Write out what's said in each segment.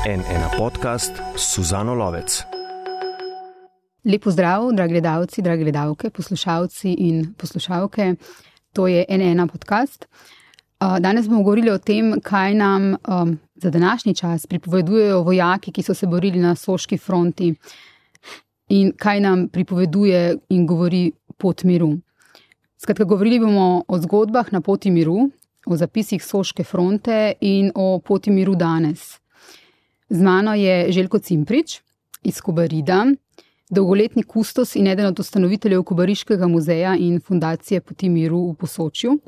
NN podcast Suzano Lovec. Lep pozdrav, dragi gledalci, drage gledalke, poslušalci in poslušalke. To je NN podcast. Danes bomo govorili o tem, kaj nam za današnji čas pripovedujejo vojaki, ki so se borili na Soški fronti, in kaj nam pripoveduje in govori pot miru. Skratka, govorili bomo o zgodbah na poti miru, o zapisih Soške fronte in o poti miru danes. Z mano je Željko Cimprič iz Kobarida, dolgoletni kustos in eden od ustanoviteljev Kobariškega muzeja in fundacije Poti miru v Posočju.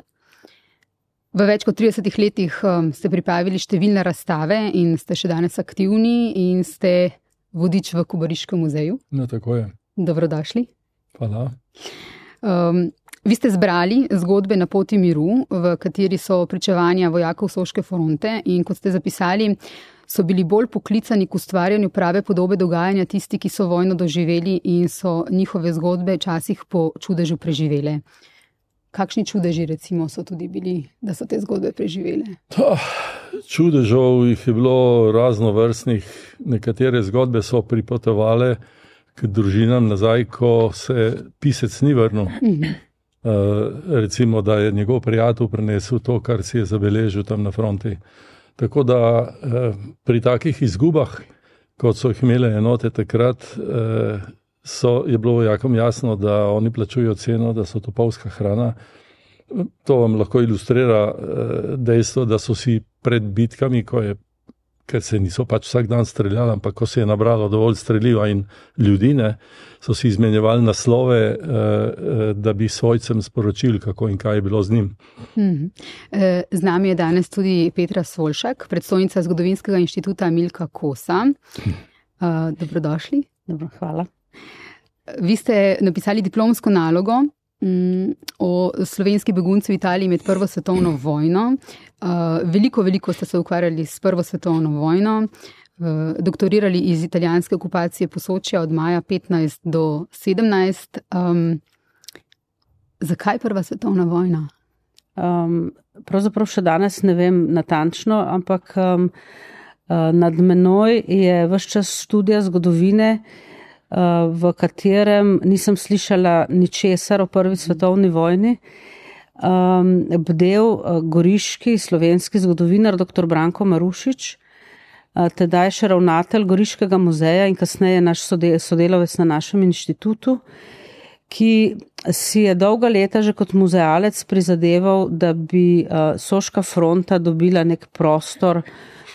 V več kot 30 letih ste pripravili številne razstave in ste še danes aktivni in ste vodič v Kobariškem muzeju. No, tako je. Dobrodošli. Hvala. Vi ste zbrali zgodbe na poti miru, v kateri so pričevanja vojakov Soške fronte, in kot ste zapisali, so bili bolj poklicani k ustvarjanju prave podobe dogajanja tisti, ki so vojno doživeli in so njihove zgodbe včasih po čudežu preživele. Kakšni čudeži recimo so tudi bili, da so te zgodbe preživele? Čudežev jih je bilo raznovrstnih. Nekatere zgodbe so pripotovale k družinam nazaj, ko se pisec ni vrnil. Recimo, da je njegov prijatelj prenesel to, kar si je zabeležil tam na fronti. Tako da pri takih izgubah, kot so jih imele enote takrat, je bilo vojakom jasno, da oni plačujejo ceno, da so topovska hrana. To vam lahko ilustrira dejstvo, da so si pred bitkami, ker se niso pač vsak dan streljali, ampak ko se je nabralo dovolj streliva in ljudi, so si izmenjevali naslove, da bi svojcem sporočili, kako in kaj je bilo z njim. Z nami je danes tudi Petra Solšak, predstojnica Zgodovinskega inštituta Milka Kosa. Dobrodošli. Dobro, hvala. Vi ste napisali diplomsko nalogo o slovenski begunci v Italiji med Prvo svetovno vojno. Veliko ste se ukvarjali s Prvo svetovno vojno, doktorirali iz italijanske okupacije Posočja od maja 15 do 17. Zakaj Prva svetovna vojna? Pravzaprav še danes ne vem natančno, ampak nad menoj je ves čas študija zgodovine, v katerem nisem slišala ničesar o Prvi svetovni vojni. Bdel goriški slovenski zgodovinar dr. Branko Marušič, tedaj še ravnatelj Goriškega muzeja in kasneje naš sodelavec na našem inštitutu, ki si je dolga leta že kot muzealec prizadeval, da bi Soška fronta dobila nek prostor,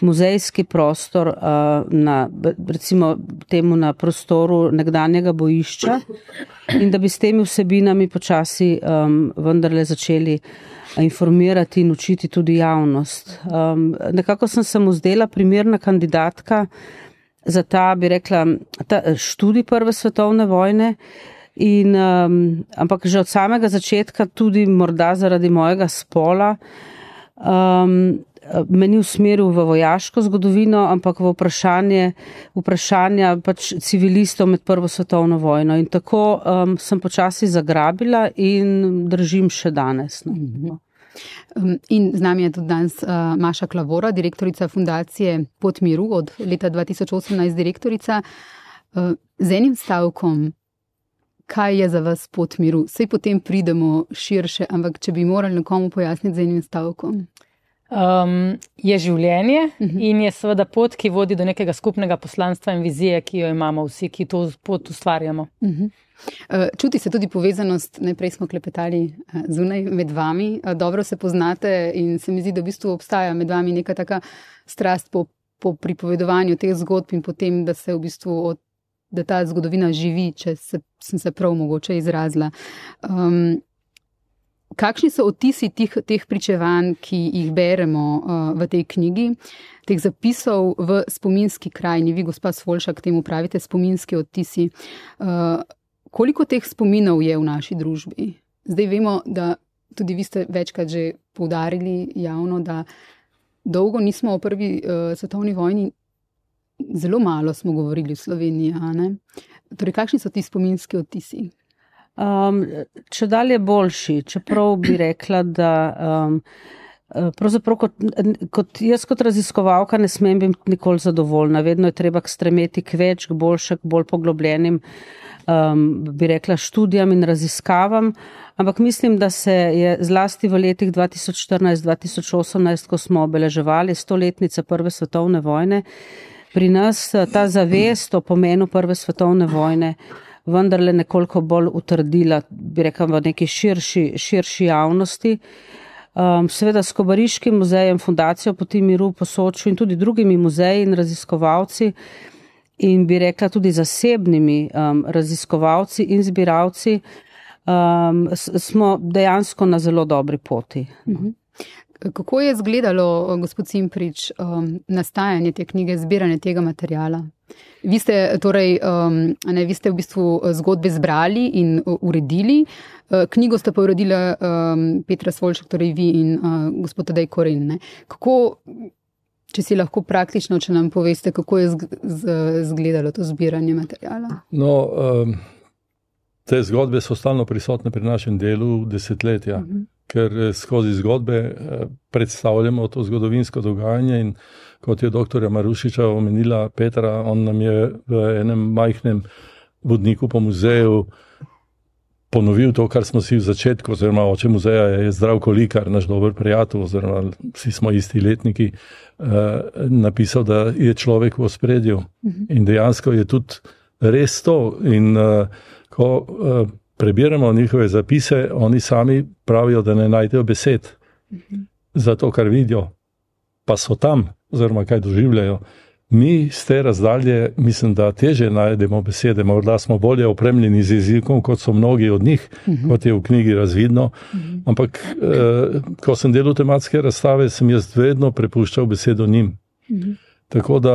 muzejski prostor recimo temu na prostoru nekdanjega bojišča, in da bi s temi vsebinami počasi vendarle začeli informirati in učiti tudi javnost. Nekako sem se mu zdela primerna kandidatka za ta, bi rekla, študij Prve svetovne vojne, ampak že od samega začetka, tudi morda zaradi mojega spola, me ni usmeril v vojaško zgodovino, ampak v vprašanja pač civilistov med Prvo svetovno vojno. In tako sem počasi zagrabila in držim še danes. In z nami je tudi danes Maša Klavora, direktorica fundacije Pot miru, od leta 2018 direktorica. Z enim stavkom, kaj je za vas pot miru? Sej potem pridemo širše, ampak če bi morali nekomu pojasniti z enim stavkom. Je življenje in je seveda pot, ki vodi do nekega skupnega poslanstva in vizije, ki jo imamo vsi, ki to pot ustvarjamo. Čuti se tudi povezanost, najprej smo klepetali zunaj med vami, dobro se poznate in se mi zdi, da v bistvu obstaja med vami neka taka strast po pripovedovanju teh zgodb in potem, da se v bistvu da ta zgodovina živi, če sem se prav mogoče izrazila. Kakšni so odtisi teh pričevanj, ki jih beremo v tej knjigi, teh zapisov v spominski krajini? Vi, gospa Solšak, temu pravite spominski odtisi. Koliko teh spominov je v naši družbi? Zdaj vemo, da tudi vi ste večkrat že poudarili javno, da dolgo nismo o Prvi svetovni vojni, zelo malo smo govorili v Sloveniji, a ne? Torej, kakšni so ti spominski odtisi? Če dalje boljši, čeprav bi rekla, da pravzaprav kot raziskovalka ne smem biti nikoli zadovoljna. Vedno je treba stremeti k več, k boljšem, k bolj poglobljenim, bi rekla, študijam in raziskavam. Ampak mislim, da se je zlasti v letih 2014-2018, ko smo obeleževali 100-letnice Prve svetovne vojne, pri nas ta zavest o pomenu Prve svetovne vojne vendarle nekoliko bolj utrdila, bi rekla, v neki širši javnosti. Seveda s Kobariškim muzejem, Fundacijo Poti miru po Soču in tudi drugimi muzeji in raziskovalci in bi rekla tudi zasebnimi raziskovalci in zbiralci smo dejansko na zelo dobri poti. Kako je izgledalo, gospod Cimprič, nastajanje te knjige, zbiranje tega materijala? Vi ste torej, vi ste v bistvu zgodbe zbrali in uredili. Knjigo sta pa uredila Petra Svolček, torej vi in gospod Tadej Koren. Ne? Kako, če si lahko praktično, če nam poveste, kako je izgledalo to zbiranje materijala? No, te zgodbe so stalno prisotne pri našem delu desetletja, ker skozi zgodbe predstavljamo to zgodovinsko dogajanje in kot je doktorja Marušiča omenila Petra, on nam je v enem majhnem vodniku po muzeju ponovil to, kar smo si v začetku, oziroma oče muzeja je Zdravko Likar, naš dober prijatelj, oziroma vsi smo isti letniki, napisal, da je človek v ospredju. In dejansko je tudi res to. In ko prebiramo njihove zapise, oni sami pravijo, da ne najdejo besed za to, kar vidijo, pa so tam, oziroma kaj doživljajo. Mi z te razdalje, mislim, da teže najdemo besede, morda smo bolje opremljeni z jezikom, kot so mnogi od njih, kot je v knjigi razvidno, ampak ko sem delal tematske razstave, sem jaz vedno prepuščal besedo njim. Tako da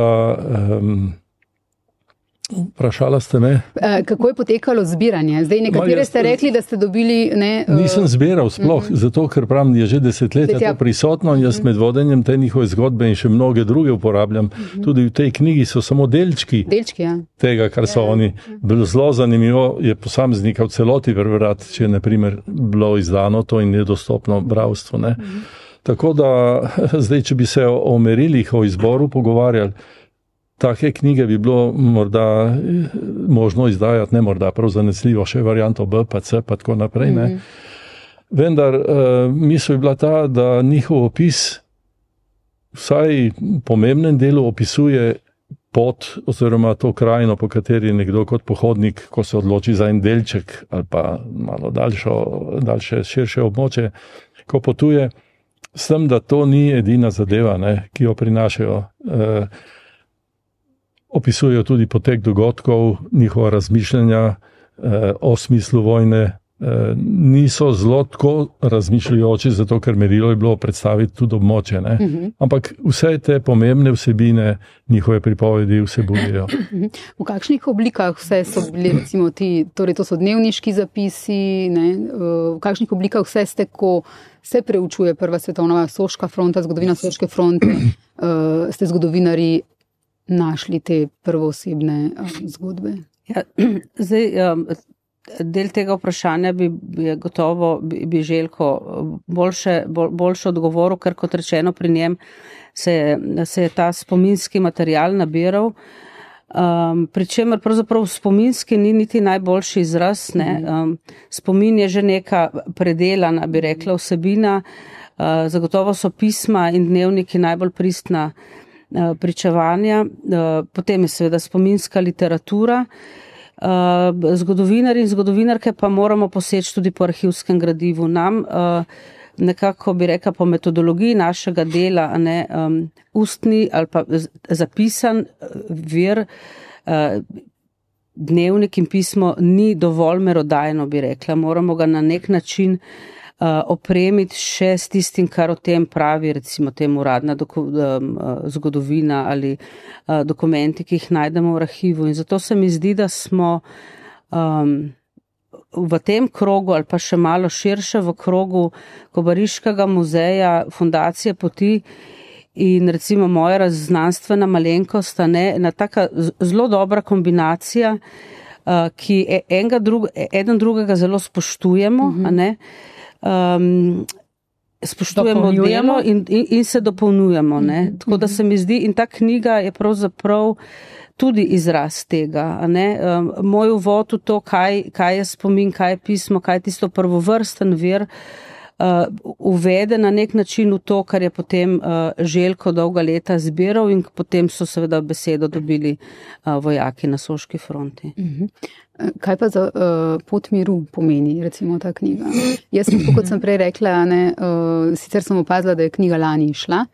vprašala ste me. Kako je potekalo zbiranje? Zdaj, nekatere ste rekli, da ste dobili... Nisem zbiral sploh, zato ker pravim, je že desetletja to prisotno in jaz med vodenjem te njihove zgodbe in še mnoge druge uporabljam. Tudi v tej knjigi so samo delčki tega, kar so oni. Bilo zelo zanimivo je posameznika v celoti prebrati, če je na primer bilo izdano to in je dostopno bralstvu. Tako da zdaj, če bi se o merilih, o izboru pogovarjali, take knjige bi bilo morda možno izdajati, ne morda, prav zanesljivo, še varianto B, pa C, pa tako naprej. Ne. Vendar misel je bila ta, da njihov opis vsaj v pomembnem delu opisuje pot oziroma to krajino, po kateri je nekdo kot pohodnik, ko se odloči za en delček ali pa malo daljše, širše območje, ko potuje, s tem, da to ni edina zadeva, ne, ki jo prinašajo. Opisujejo tudi potek dogodkov, njihova razmišljanja o smislu vojne. Niso zelo tako razmišljajoči, zato ker merilo je bilo predstaviti tudi območje. Ampak vse te pomembne vsebine njihove pripovedi vsebujejo. V kakšnih oblikah vse so bili, recimo ti, torej to so dnevniški zapisi, ne? V kakšnih oblikah vse ste, ko se preučuje Prva svetovna Soška fronta, zgodovina Soške fronte, ste zgodovinari našli te prvoosebne zgodbe? Ja, zdaj, del tega vprašanja bi gotovo bi Željko boljše odgovoril, ker kot rečeno pri njem se je ta spominski material nabiral, pri čemer pravzaprav spominski ni niti najboljši izraz. Spomin je že neka predelana, bi rekla, vsebina, zagotovo so pisma in dnevniki najbolj pristna pričevanja, potem je seveda spominska literatura. Zgodovinarji in zgodovinarke pa moramo poseči tudi po arhivskem gradivu. Nam nekako bi rekla po metodologiji našega dela, ustni ali pa zapisan vir, dnevnik in pismo ni dovolj merodajno, bi rekla. Moramo ga na nek način opremiti še s tistim, kar o tem pravi, recimo tem uradna zgodovina ali dokumenti, ki jih najdemo v arhivu. In zato se mi zdi, da smo v tem krogu ali pa še malo širše v krogu Kobariškega muzeja, Fundacije Poti in recimo moja znanstvena malenkost, ena taka zelo dobra kombinacija, ki eden drugega zelo spoštujemo, spoštujemo delo in se dopolnjujemo. Tako da se mi zdi, in ta knjiga je pravzaprav tudi izraz tega. Moj uvod v to, kaj je spomin, kaj je pismo, kaj je tisto prvovrsten vir, uvede na nek način v to, kar je potem Željko dolga leta zbiral in potem so seveda besedo dobili vojaki na Soški fronti. Kaj pa za pot miru pomeni, recimo, ta knjiga? Jaz, kot sem prej rekla, sicer sem opazila, da je knjiga lani išla,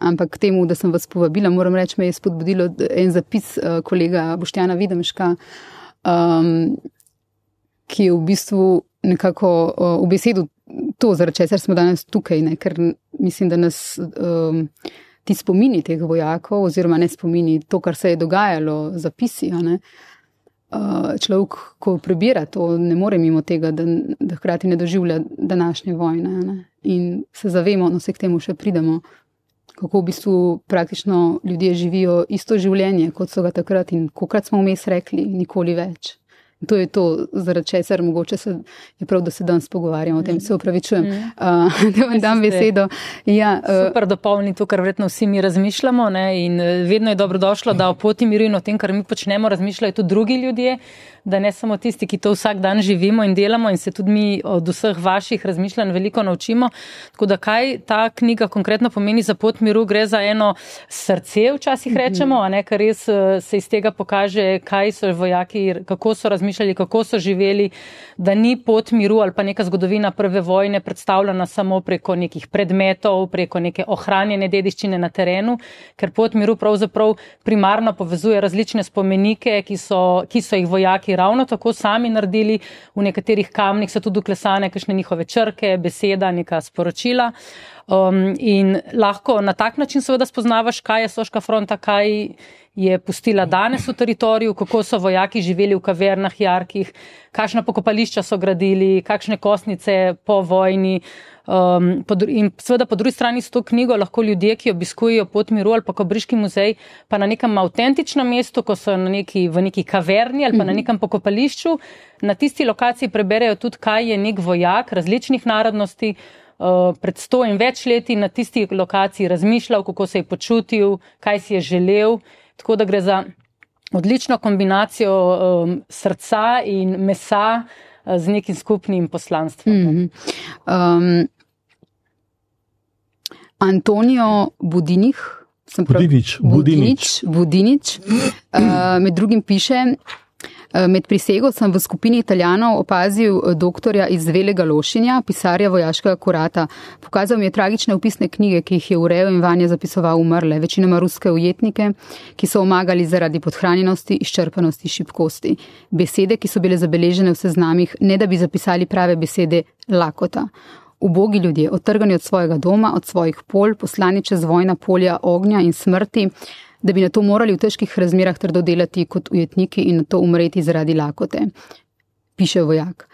ampak temu, da sem vas povabila, moram reči, me je spodbudilo en zapis kolega Boštjana Videmška, ki je v bistvu nekako v besedu to, zaradi česar smo danes tukaj, ker mislim, da nas ti spomini teh vojakov, oziroma ne spomini, to, kar se je dogajalo, zapisi, človek, ko prebira to, ne more mimo tega, da hkrati ne doživlja današnje vojne, in se zavemo, no se k temu še pridemo, kako v bistvu praktično ljudje živijo isto življenje, kot so ga takrat in kolikrat smo vmes rekli, nikoli več. To je to, zaradi česar mogoče je prav, da se danes pogovarjamo o tem, se opravičujem, da vam dam besedo. Ja, super dopolni to, kar verjetno vsi mi razmišljamo, in vedno je dobrodošlo, da o poti miru in o tem, kar mi počnemo, razmišljajo tudi drugi ljudje, da ne samo tisti, ki to vsak dan živimo in delamo in se tudi mi od vseh vaših razmišljanj veliko naučimo. Tako da kaj ta knjiga konkretno pomeni za pot miru, gre za eno srce, včasih rečemo, ker res se iz tega pokaže, kaj so vojaki, kako so razmišljali, kako so živeli, da ni pot miru ali pa neka zgodovina prve vojne predstavljena samo preko nekih predmetov, preko neke ohranjene dediščine na terenu, ker pot miru pravzaprav primarno povezuje različne spomenike, ki so jih vojaki ravno tako sami naredili, v nekaterih kamnih so tudi uklesane kakšne njihove črke, beseda, neka sporočila. In lahko na tak način seveda spoznavaš, kaj je Soška fronta, kaj je pustila danes v teritoriju, kako so vojaki živeli v kavernah, jarkih, kakšna pokopališča so gradili, kakšne kostnice po vojni. In seveda po drugi strani s to knjigo lahko ljudje, ki obiskujejo pot miru ali pa Kobriški muzej, pa na nekem avtentičnem mestu, ko so v neki kaverni ali pa na nekem pokopališču, na tisti lokaciji preberejo tudi, kaj je nek vojak različnih narodnosti pred 100 in več leti na tisti lokaciji razmišljal, kako se je počutil, kaj si je želel. Tako da gre za odlično kombinacijo srca in mesa z nekim skupnim poslanstvom. Antonio Budinič, med drugim piše: med prisego sem v skupini Italijanov opazil doktorja iz Velega Lošinja, pisarja vojaškega kurata. Pokazal mi je tragične opisne knjige, ki jih je urejal in vanje zapisoval umrle, večinoma ruske ujetnike, ki so omagali zaradi podhranjenosti, izčrpanosti, šibkosti. Besede, ki so bile zabeležene v seznamih, ne da bi zapisali prave besede, lakota. Ubogi ljudje, odtrgani od svojega doma, od svojih polj, poslani čez vojna polja ognja in smrti, da bi na to morali v težkih razmerah trdo delati kot ujetniki in na to umreti zaradi lakote, piše vojak.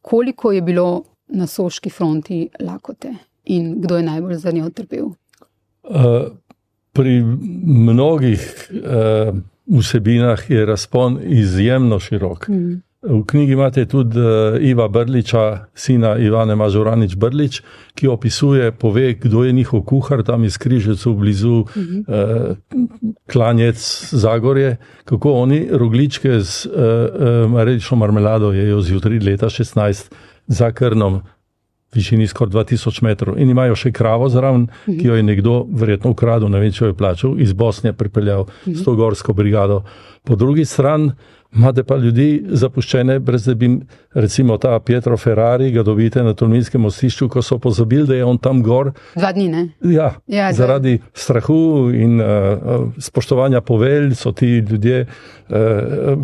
Koliko je bilo na Soški fronti lakote in kdo je najbolj za njo trpel? Pri mnogih vsebinah je razpon izjemno širok. V knjigi imate tudi Iva Brliča, sina Ivane Mažuranič Brlič, ki opisuje, pove, kdo je njihov kuhar tam iz Križevcev blizu Klanjec, Zagorje, kako oni rogličke z marelično marmelado jejo zjutraj leta 16 za Krnom, višini skoraj 2000 metrov. In imajo še kravo zraven, ki jo je nekdo verjetno ukradel, ne vem, če jo je plačal, iz Bosne pripeljal s to gorsko brigado. Po drugi strani imate pa ljudi zapuščene, brez da bi, recimo ta Pietro Ferrari, ga dobite na Tolminskem mostišču, ko so pozabili, da je on tam gor. 2 dni, ne? Ja, zaradi strahu in spoštovanja povelj so ti ljudje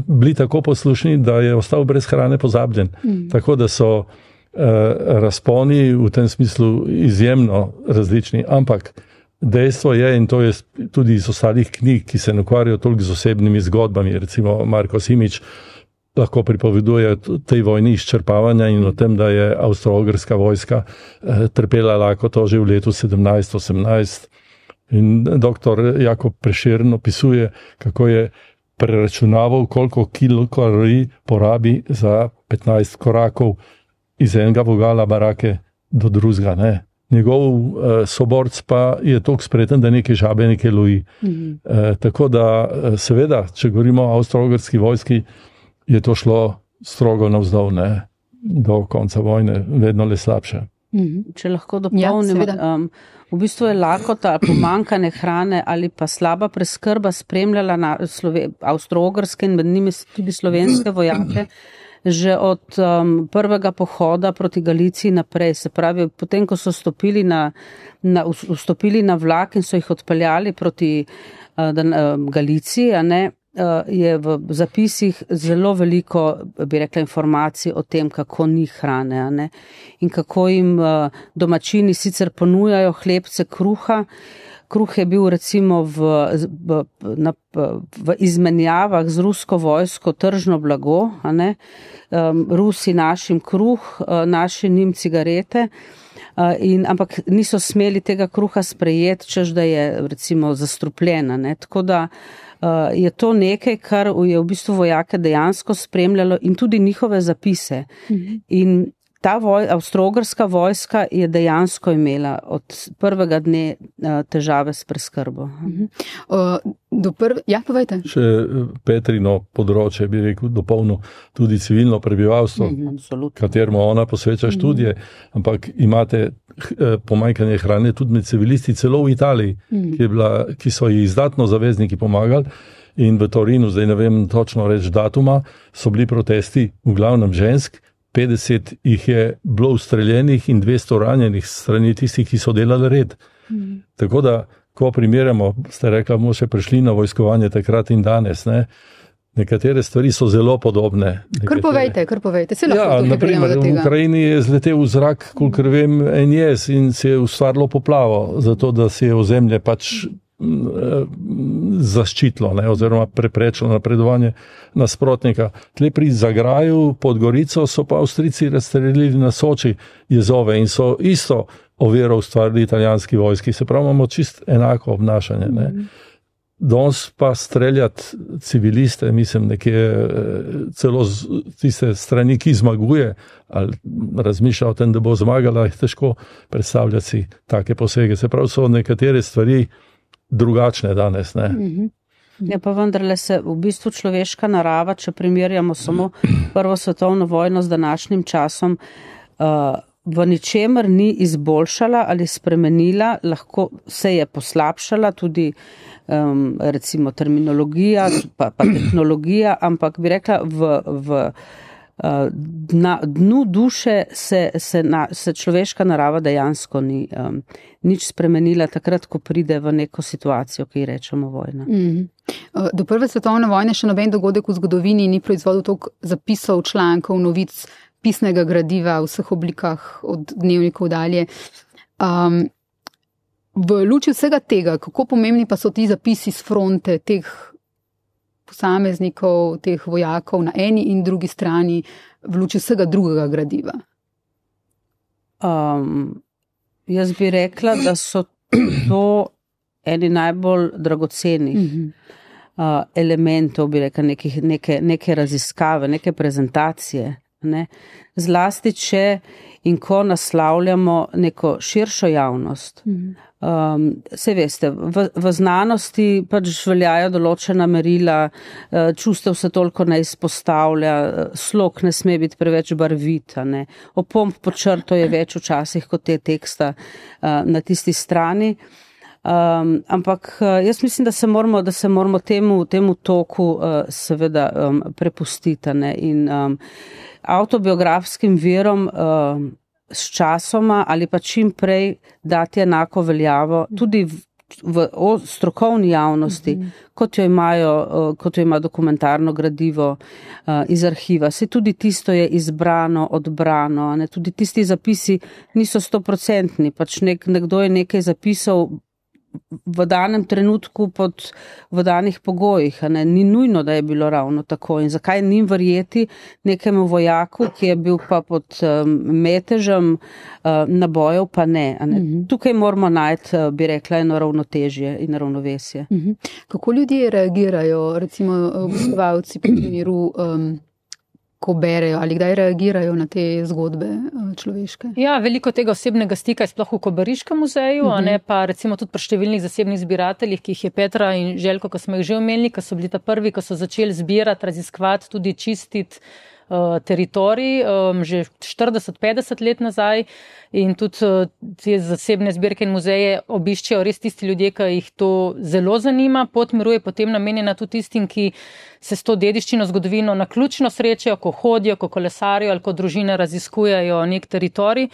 bili tako poslušni, da je ostal brez hrane pozabljen. Tako da so razponi v tem smislu izjemno različni, ampak dejstvo je, in to je tudi iz ostalih knjig, ki se ne ukvarjajo toliko z osebnimi zgodbami, recimo Marko Simič lahko pripoveduje tej vojni izčrpavanja in o tem, da je avstro-ogrska vojska trpela lakoto že v letu 17-18. In doktor Jakob Prešern opisuje, kako je preračunaval, koliko kilokalorij porabi za 15 korakov iz enega vogala barake do drugega, ne. Njegov soborc pa je toliko spreten, da neke žabe nekaj loji. Tako da, seveda, če govorimo o avstro-ogrski vojski, je to šlo strogo navzdol, ne, do konca vojne, vedno le slabše. Če lahko dopolnim, v bistvu je lakota, pomanjkanje hrane ali pa slaba preskrba spremljala avstro-ogrske in med njimi tudi slovenske vojake, že od prvega pohoda proti Galiciji naprej. Se pravi, potem, ko so vstopili na vlak in so jih odpeljali proti Galiciji, je v zapisih zelo veliko, bi rekla, informacij o tem, kako ni hrane, in kako jim domačini sicer ponujajo hlebce kruha. Kruh je bil recimo v izmenjavah z rusko vojsko tržno blago, Rusi našim kruh, naši njim cigarete, ampak niso smeli tega kruha sprejeti, češ da je recimo zastrupljena. Tako da je to nekaj, kar je v bistvu vojake dejansko spremljalo in tudi njihove zapise. In ta avstro-ogrska vojska je dejansko imela od prvega dne težave s preskrbo. Ja, povejte. Še Petrino področje, bi rekel, dopolnil tudi civilno prebivalstvo, kateremu ona posveča študije, ampak imate pomanjkanje hrane tudi med civilisti, celo v Italiji, ki so ji izdatno zavezniki pomagali. In v Torinu, zdaj ne vem točno reči datuma, so bili protesti v glavnem žensk, 50 jih je bilo ustreljenih in 200 ranjenih strani tistih, ki so delali red. Tako da, ko primerjamo, ste rekla, bomo še prišli na vojskovanje takrat in danes, ne? Nekatere stvari so zelo podobne. Kar povejte. Se lahko tukaj prijemo do tega. V Ukrajini je zletel v zrak, kolikor vem, en jez in se je ustvarilo poplavo, zato da se je ozemlje pač zaščitilo, oziroma preprečilo napredovanje nasprotnika. Tle pri Zagraju pod Gorico so pa Avstrijci razstrelili na Soči jezove in so isto oviro ustvarili italijanski vojski. Se pravi, imamo čist enako obnašanje. Danes pa streljati civiliste, mislim, nekje celo tiste strani, ki zmaguje, ali razmišlja o tem, da bo zmagala, je težko predstavljati si take posege. Se pravi, so nekatere stvari drugačne danes, ne. Ja, pa vendarle se v bistvu človeška narava, če primerjamo samo Prvo svetovno vojno z današnjim časom, v ničemer ni izboljšala ali spremenila, lahko se je poslabšala tudi recimo terminologija, pa tehnologija, ampak bi rekla na dnu duše se človeška narava dejansko ni nič spremenila takrat, ko pride v neko situacijo, ki ji rečemo vojna. Do Prve svetovne vojne še noben dogodek v zgodovini ni proizvodil toliko zapisov, člankov, novic, pisnega gradiva v vseh oblikah od dnevnikov dalje. V luči vsega tega, kako pomembni pa so ti zapisi z fronte teh posameznikov, teh vojakov na eni in drugi strani v luči vsega drugega gradiva? Jaz bi rekla, da so to eni najbolj dragocenih elementov, bi rekla, neke raziskave, neke prezentacije. Zlasti, če in ko naslavljamo neko širšo javnost. Saj veste, v znanosti pač veljajo določena merila, čustev se toliko ne izpostavlja, slog ne sme biti preveč barvit, opomb pod črto je več včasih kot te teksta na tisti strani. Ampak jaz mislim, da se moramo temu toku seveda prepustiti, in avtobiografskim virom s časoma ali pa čim prej dati enako veljavo tudi v strokovni javnosti, kot jo ima dokumentarno gradivo iz arhiva. Se tudi tisto je izbrano, odbrano, tudi tisti zapisi niso 100%, pač nekdo je nekaj zapisal v danem trenutku v danih pogojih, ni nujno, da je bilo ravno tako. In zakaj njim verjeti nekemu vojaku, ki je bil pa pod metežem nabojev, pa ne. Tukaj moramo najti, bi rekla, eno ravnotežje in ravnovesje. Kako ljudje reagirajo, recimo obiskovalci pri primeru ko berejo ali kdaj reagirajo na te zgodbe človeške? Ja, veliko tega osebnega stika je sploh v Kobariškem muzeju, a ne pa recimo tudi pri številnih zasebnih zbirateljih, ki jih je Petra in Željko, ko smo jih že omenili, ko so bili ta prvi, ko so začeli zbirati, raziskovati, tudi čistiti teritorij, že 40-50 let nazaj in tudi te zasebne zbirke in muzeje obiščejo res tisti ljudje, ki jih to zelo zanima. Pot miru je potem namenjena tudi tistim, ki se s to dediščino zgodovino naključno srečajo, ko hodijo, ko kolesarijo ali ko družine raziskujejo nek teritorij.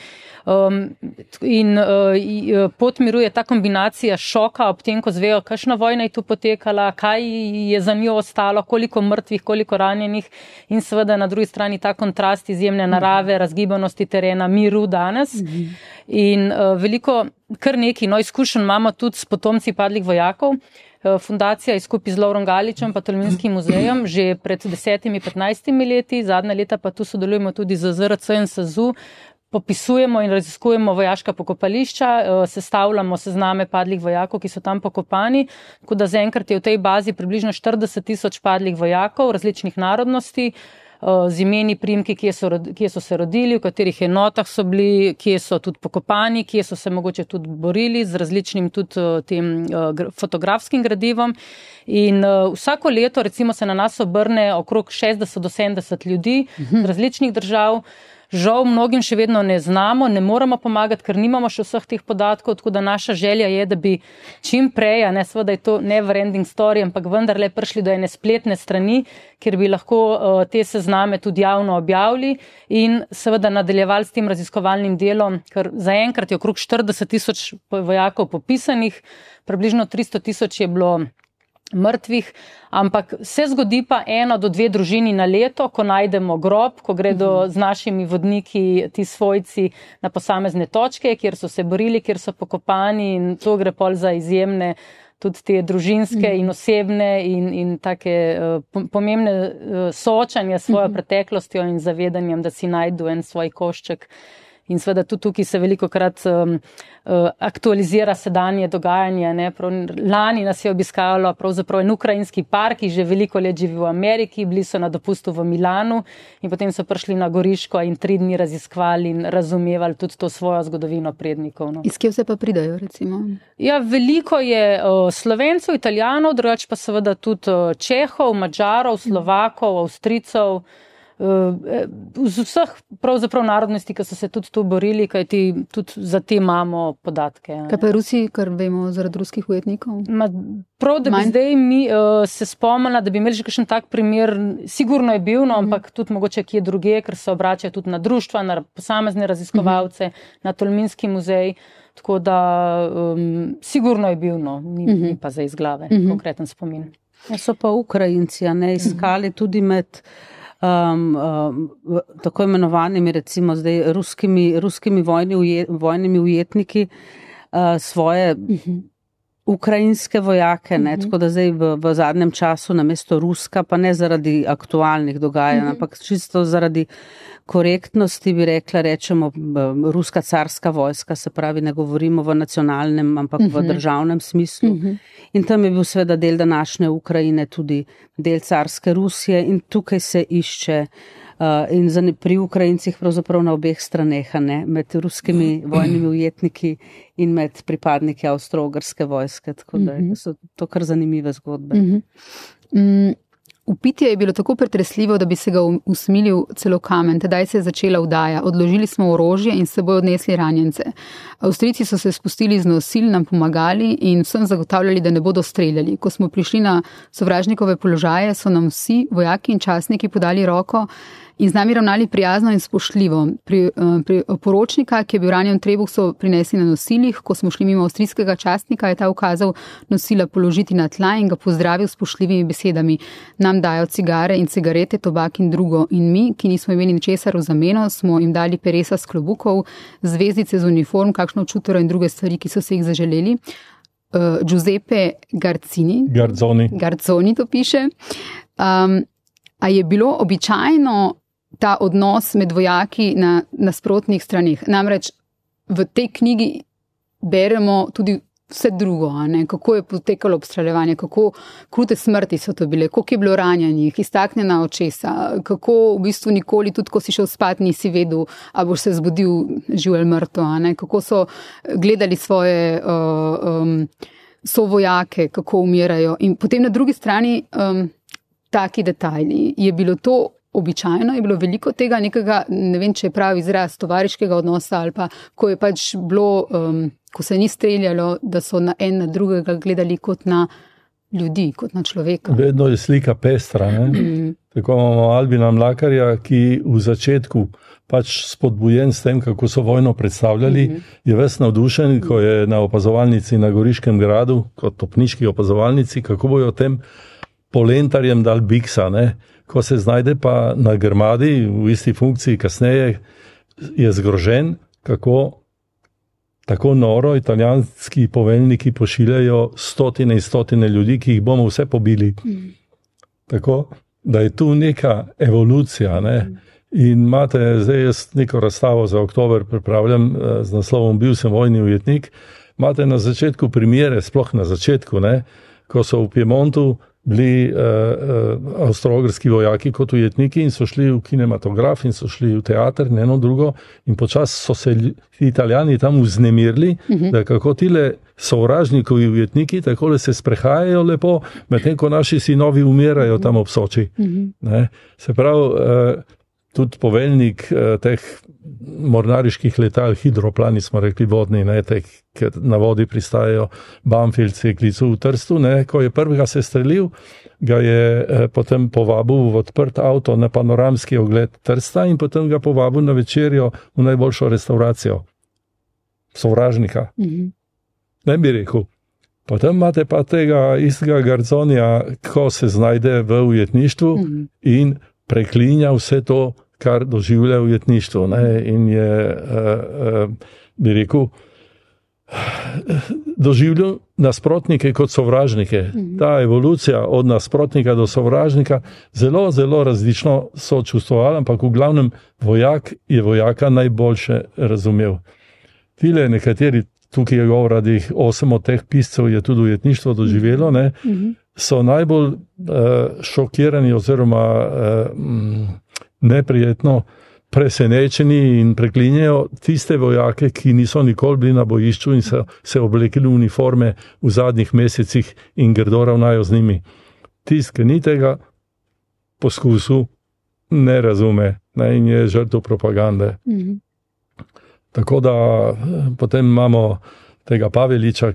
Pot miru je ta kombinacija šoka ob tem, ko zvejo, kakšna vojna je tu potekala, kaj je za njo ostalo, koliko mrtvih, koliko ranjenih in seveda na drugi strani ta kontrast izjemne narave, razgibanosti terena, miru danes. In veliko, kar nekaj izkušenj imamo tudi s potomci padlih vojakov. Fundacija je skupaj z Lovrom Galičem pa Tolminskim muzejem že pred 10-15 leti, zadnja leta pa tu sodelujemo tudi z ZRC in SAZU, popisujemo in raziskujemo vojaška pokopališča, sestavljamo sezname padlih vojakov, ki so tam pokopani, tako da zaenkrat je v tej bazi približno 40,000 padlih vojakov različnih narodnosti, z imeni, priimki, kje so se rodili, v katerih enotah so bili, kje so tudi pokopani, kje so se mogoče tudi borili, z različnim tudi tem fotografskim gradivom. In vsako leto recimo se na nas obrne okrog 60 do 70 ljudi z različnih držav. Žal mnogim še vedno ne znamo, ne moramo pomagati, ker nimamo še vseh teh podatkov, tako da naša želja je, da bi čim prej, ne seveda je to never ending story, ampak vendarle prišli do ene spletne strani, kjer bi lahko te sezname tudi javno objavili in seveda nadaljevali s tem raziskovalnim delom, ker zaenkrat je okrog 40,000 vojakov popisanih, približno 300,000 je bilo mrtvih, ampak se zgodi pa 1 do 2 družini na leto, ko najdemo grob, ko gredo z našimi vodniki ti svojci na posamezne točke, kjer so se borili, kjer so pokopani in to gre pol za izjemne tudi te družinske in osebne in take pomembne soočanja s svojo preteklostjo in zavedanjem, da si najdu en svoj košček. In seveda tudi tukaj se velikokrat aktualizira sedanje dogajanje. Ne? Lani nas je obiskalo pravzaprav en ukrajinski par, ki že veliko let živi v Ameriki, bili so na dopustu v Milanu in potem so prišli na Goriško in 3 dni raziskovali in razumevali tudi to svojo zgodovino prednikov. No. Iz kje vse pa pridajo, recimo? Ja, veliko je Slovencev, Italijanov, drugače pa seveda tudi Čehov, Madžarov, Slovakov, Avstrijcev, z vseh pravzaprav narodnosti, ki so se tudi tu borili, kajti tudi za te imamo podatke. Kaj pa Rusi, kar vemo zaradi ruskih ujetnikov? Prav, da bi zdaj mi se spomnila, da bi imeli že kakšen tak primer, sigurno je bil, no, ampak tudi mogoče kje druge, ker se obračajo tudi na društva, na posamezne raziskovalce, na Tolminski muzej, tako da sigurno je bil, no, ni pa za iz glave konkreten spomin. So pa Ukrajinci, ne, iskali tudi med tako imenovanimi recimo zdaj ruskimi vojnimi ujetniki svoje ukrajinske vojake, ne, tako da zdaj v zadnjem času namesto ruska, pa ne zaradi aktualnih dogajanj, ampak čisto zaradi korektnosti bi rečemo ruska carska vojska, se pravi ne govorimo v nacionalnem, ampak v državnem smislu. In tam je bil seveda del današnje Ukrajine tudi del carske Rusije in tukaj se išče in pri Ukrajincih pravzaprav na obeh straneh, ne, med ruskimi vojnimi ujetniki in med pripadniki avstro-ogrske vojske, tako da so to kar zanimive zgodbe. Vpitje je bilo tako pretresljivo, da bi se ga usmilil celo kamen. Tedaj se je začela vdaja. Odložili smo orožje in s seboj odnesli ranjence. Avstrijci so se spustili z nosil, nam pomagali in vsem zagotavljali, da ne bodo streljali. Ko smo prišli na sovražnikove položaje, so nam vsi vojaki in častniki podali roko in z nami ravnali prijazno in spoštljivo. Pri poročnika, ki je bil ranjen v trebuh, so prinesli na nosilih. Ko smo šli mimo avstrijskega častnika, je ta ukazal nosila položiti na tla in ga pozdravil s spoštljivimi besedami. Nam dajo cigare in cigarete, tobak in drugo. In mi, ki nismo imeli ničesar v zameno, smo jim dali peresa s klobukov, zvezdice z uniform, kakšno čutero in druge stvari, ki so se jih zaželeli. Giuseppe Garzoni to piše. A je bilo običajno ta odnos med vojaki na nasprotnih straneh? Namreč v tej knjigi beremo tudi vse drugo, ne? Kako je potekalo obstreljevanje, kako krute smrti so to bile, koliko je bilo ranjenih, iztaknjena očesa, kako v bistvu nikoli, tudi ko si šel spat, nisi vedel, a boš se zbudil živ ali mrtev, ne? Kako so gledali svoje sovojake, kako umirajo. In potem na drugi strani taki detajli. Je bilo to običajno, je bilo veliko tega nekega, ne vem, če je pravi izraz, tovariškega odnosa ali pa, ko je pač bilo, ko se ni streljalo, da so na en na drugega gledali kot na ljudi, kot na človeka. Vedno je slika pestra, ne? Tako imamo Albina Mlakarja, ki v začetku pač spodbujen s tem, kako so vojno predstavljali, je ves navdušen, ko je na opazovalnici na Goriškem gradu, kot topniški opazovalnici, kako bojo tem polentarjem dal biksa, ne? Ko se znajde pa na Grmadi v isti funkciji kasneje, je zgrožen, kako tako noro italijanski poveljniki pošiljajo stotine in stotine ljudi, ki jih bomo vse pobili. Tako, da je tu neka evolucija, ne? In imate, zdaj jaz neko razstavo za oktober pripravljam z naslovom Bil sem vojni ujetnik, imate na začetku primere, sploh na začetku, ne? Ko so v Piemontu bili avstro-ogrski vojaki kot ujetniki in so šli v kinematograf in so šli v teater, eno drugo, in počas so se Italijani tam vznemirili, da kako tile sovražnikovi ujetniki takole se sprehajajo lepo, medtem ko naši sinovi umirajo tam ob Soči. Ne? Se pravi, tudi poveljnik teh mornariških letal, hidroplani smo rekli vodni, ne, teh, ker na vodi pristajajo, Banfield se je klical v Trstu, ne, ko je prvega se strelil, ga je potem povabil v odprt avto na panoramski ogled Trsta in potem ga povabil na večerjo v najboljšo restauracijo. Sovražnika. Ne bi rekel. Potem imate pa tega istega Garzonija, ko se znajde v ujetništvu in preklinja vse to, kar doživlja v ujetništvu. Ne? In je, bi rekel, doživljal nasprotnike kot sovražnike. Ta evolucija od nasprotnika do sovražnika zelo, zelo različno so čustvovala, ampak v glavnem vojak je vojaka najboljše razumel. Tile nekateri, tukaj je govora, da jih 8 od teh piscev je tudi ujetništvo doživelo, ne? So najbolj šokirani oziroma neprijetno presenečeni in preklinjajo tiste vojake, ki niso nikoli bili na bojišču in so se oblekli v uniforme v zadnjih mesecih in grdo ravnajo z njimi. Tist, ki ni tega poskusil, ne razume, ne, in je žrtev propagande. Tako da potem imamo tega Pavlička,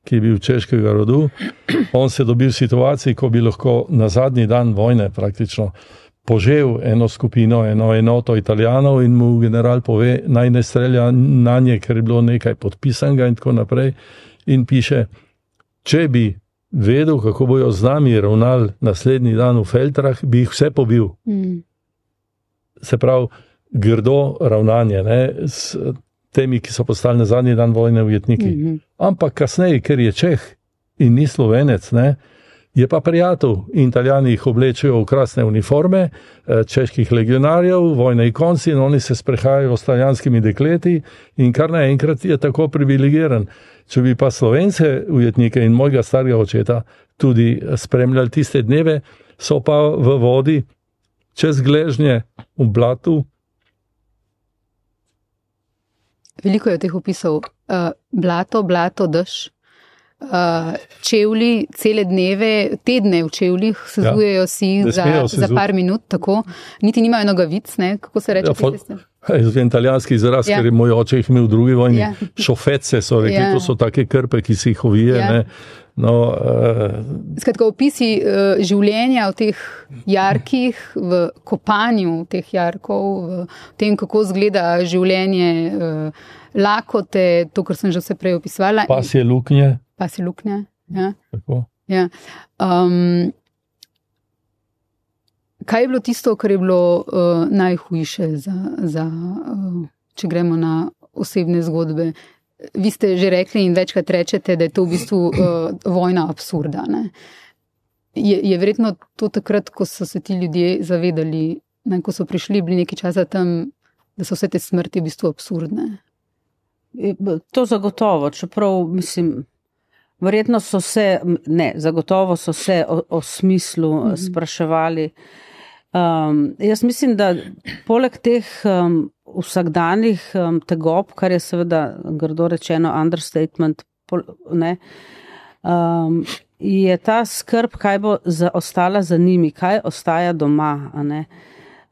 ki je bil češkega rodu. On se dobil v situaciji, ko bi lahko na zadnji dan vojne praktično požel eno skupino, eno enoto Italijanov in mu general pove, naj ne strelja na nje, ker je bilo nekaj podpisanega in tako naprej. In piše, če bi vedel, kako bojo z nami ravnali naslednji dan v Feltrah, bi jih vse pobil. Se pravi, grdo ravnanje, ne, s temi, ki so postali na zadnji dan vojne ujetniki. Ampak kasneje, ker je Čeh in ni Slovenec, ne, je pa prijatelj. In Italijani jih oblečejo v krasne uniforme, čeških legionarjev, vojne ikonci, in oni se sprehajajo s italijanskimi dekleti in kar naenkrat je tako privilegiran. Če bi pa Slovence ujetnike in mojega starega očeta tudi spremljali tiste dneve, so pa v vodi čez gležnje v blatu. Veliko je teh opisov. Blato, dež, čevlji, cele dneve, tedne v čevljih, sezujejo si za par minut, tako. Niti nimajo nogavic, ne, kako se reče. Italijanski izraz, ker je moj oče jih imel v drugi vojni. Šofece so rekli, to so take krpe, ki si jih ovije, ne. No, skratka, opisi življenja v teh jarkih, v kopanju teh jarkov, v tem, kako zgleda življenje, lakote, to, kar sem že vse prej opisovala. Pasje luknje. Ja. Tako. Ja. Kaj je bilo tisto, kar je bilo najhujše če gremo na osebne zgodbe? Vi ste že rekli in večkrat rečete, da je to v bistvu vojna absurda. Ne? Je verjetno to takrat, ko so se ti ljudje zavedali, ne, ko so prišli, bili nekaj časa tam, da so vse te smrti v bistvu absurdne? To zagotovo, čeprav mislim, verjetno so se, zagotovo so se o smislu spraševali. Jaz mislim, da poleg teh vsakdanjih tegob, kar je seveda grdo rečeno understatement, je ta skrb, kaj bo ostala za njimi, kaj ostaja doma, a ne.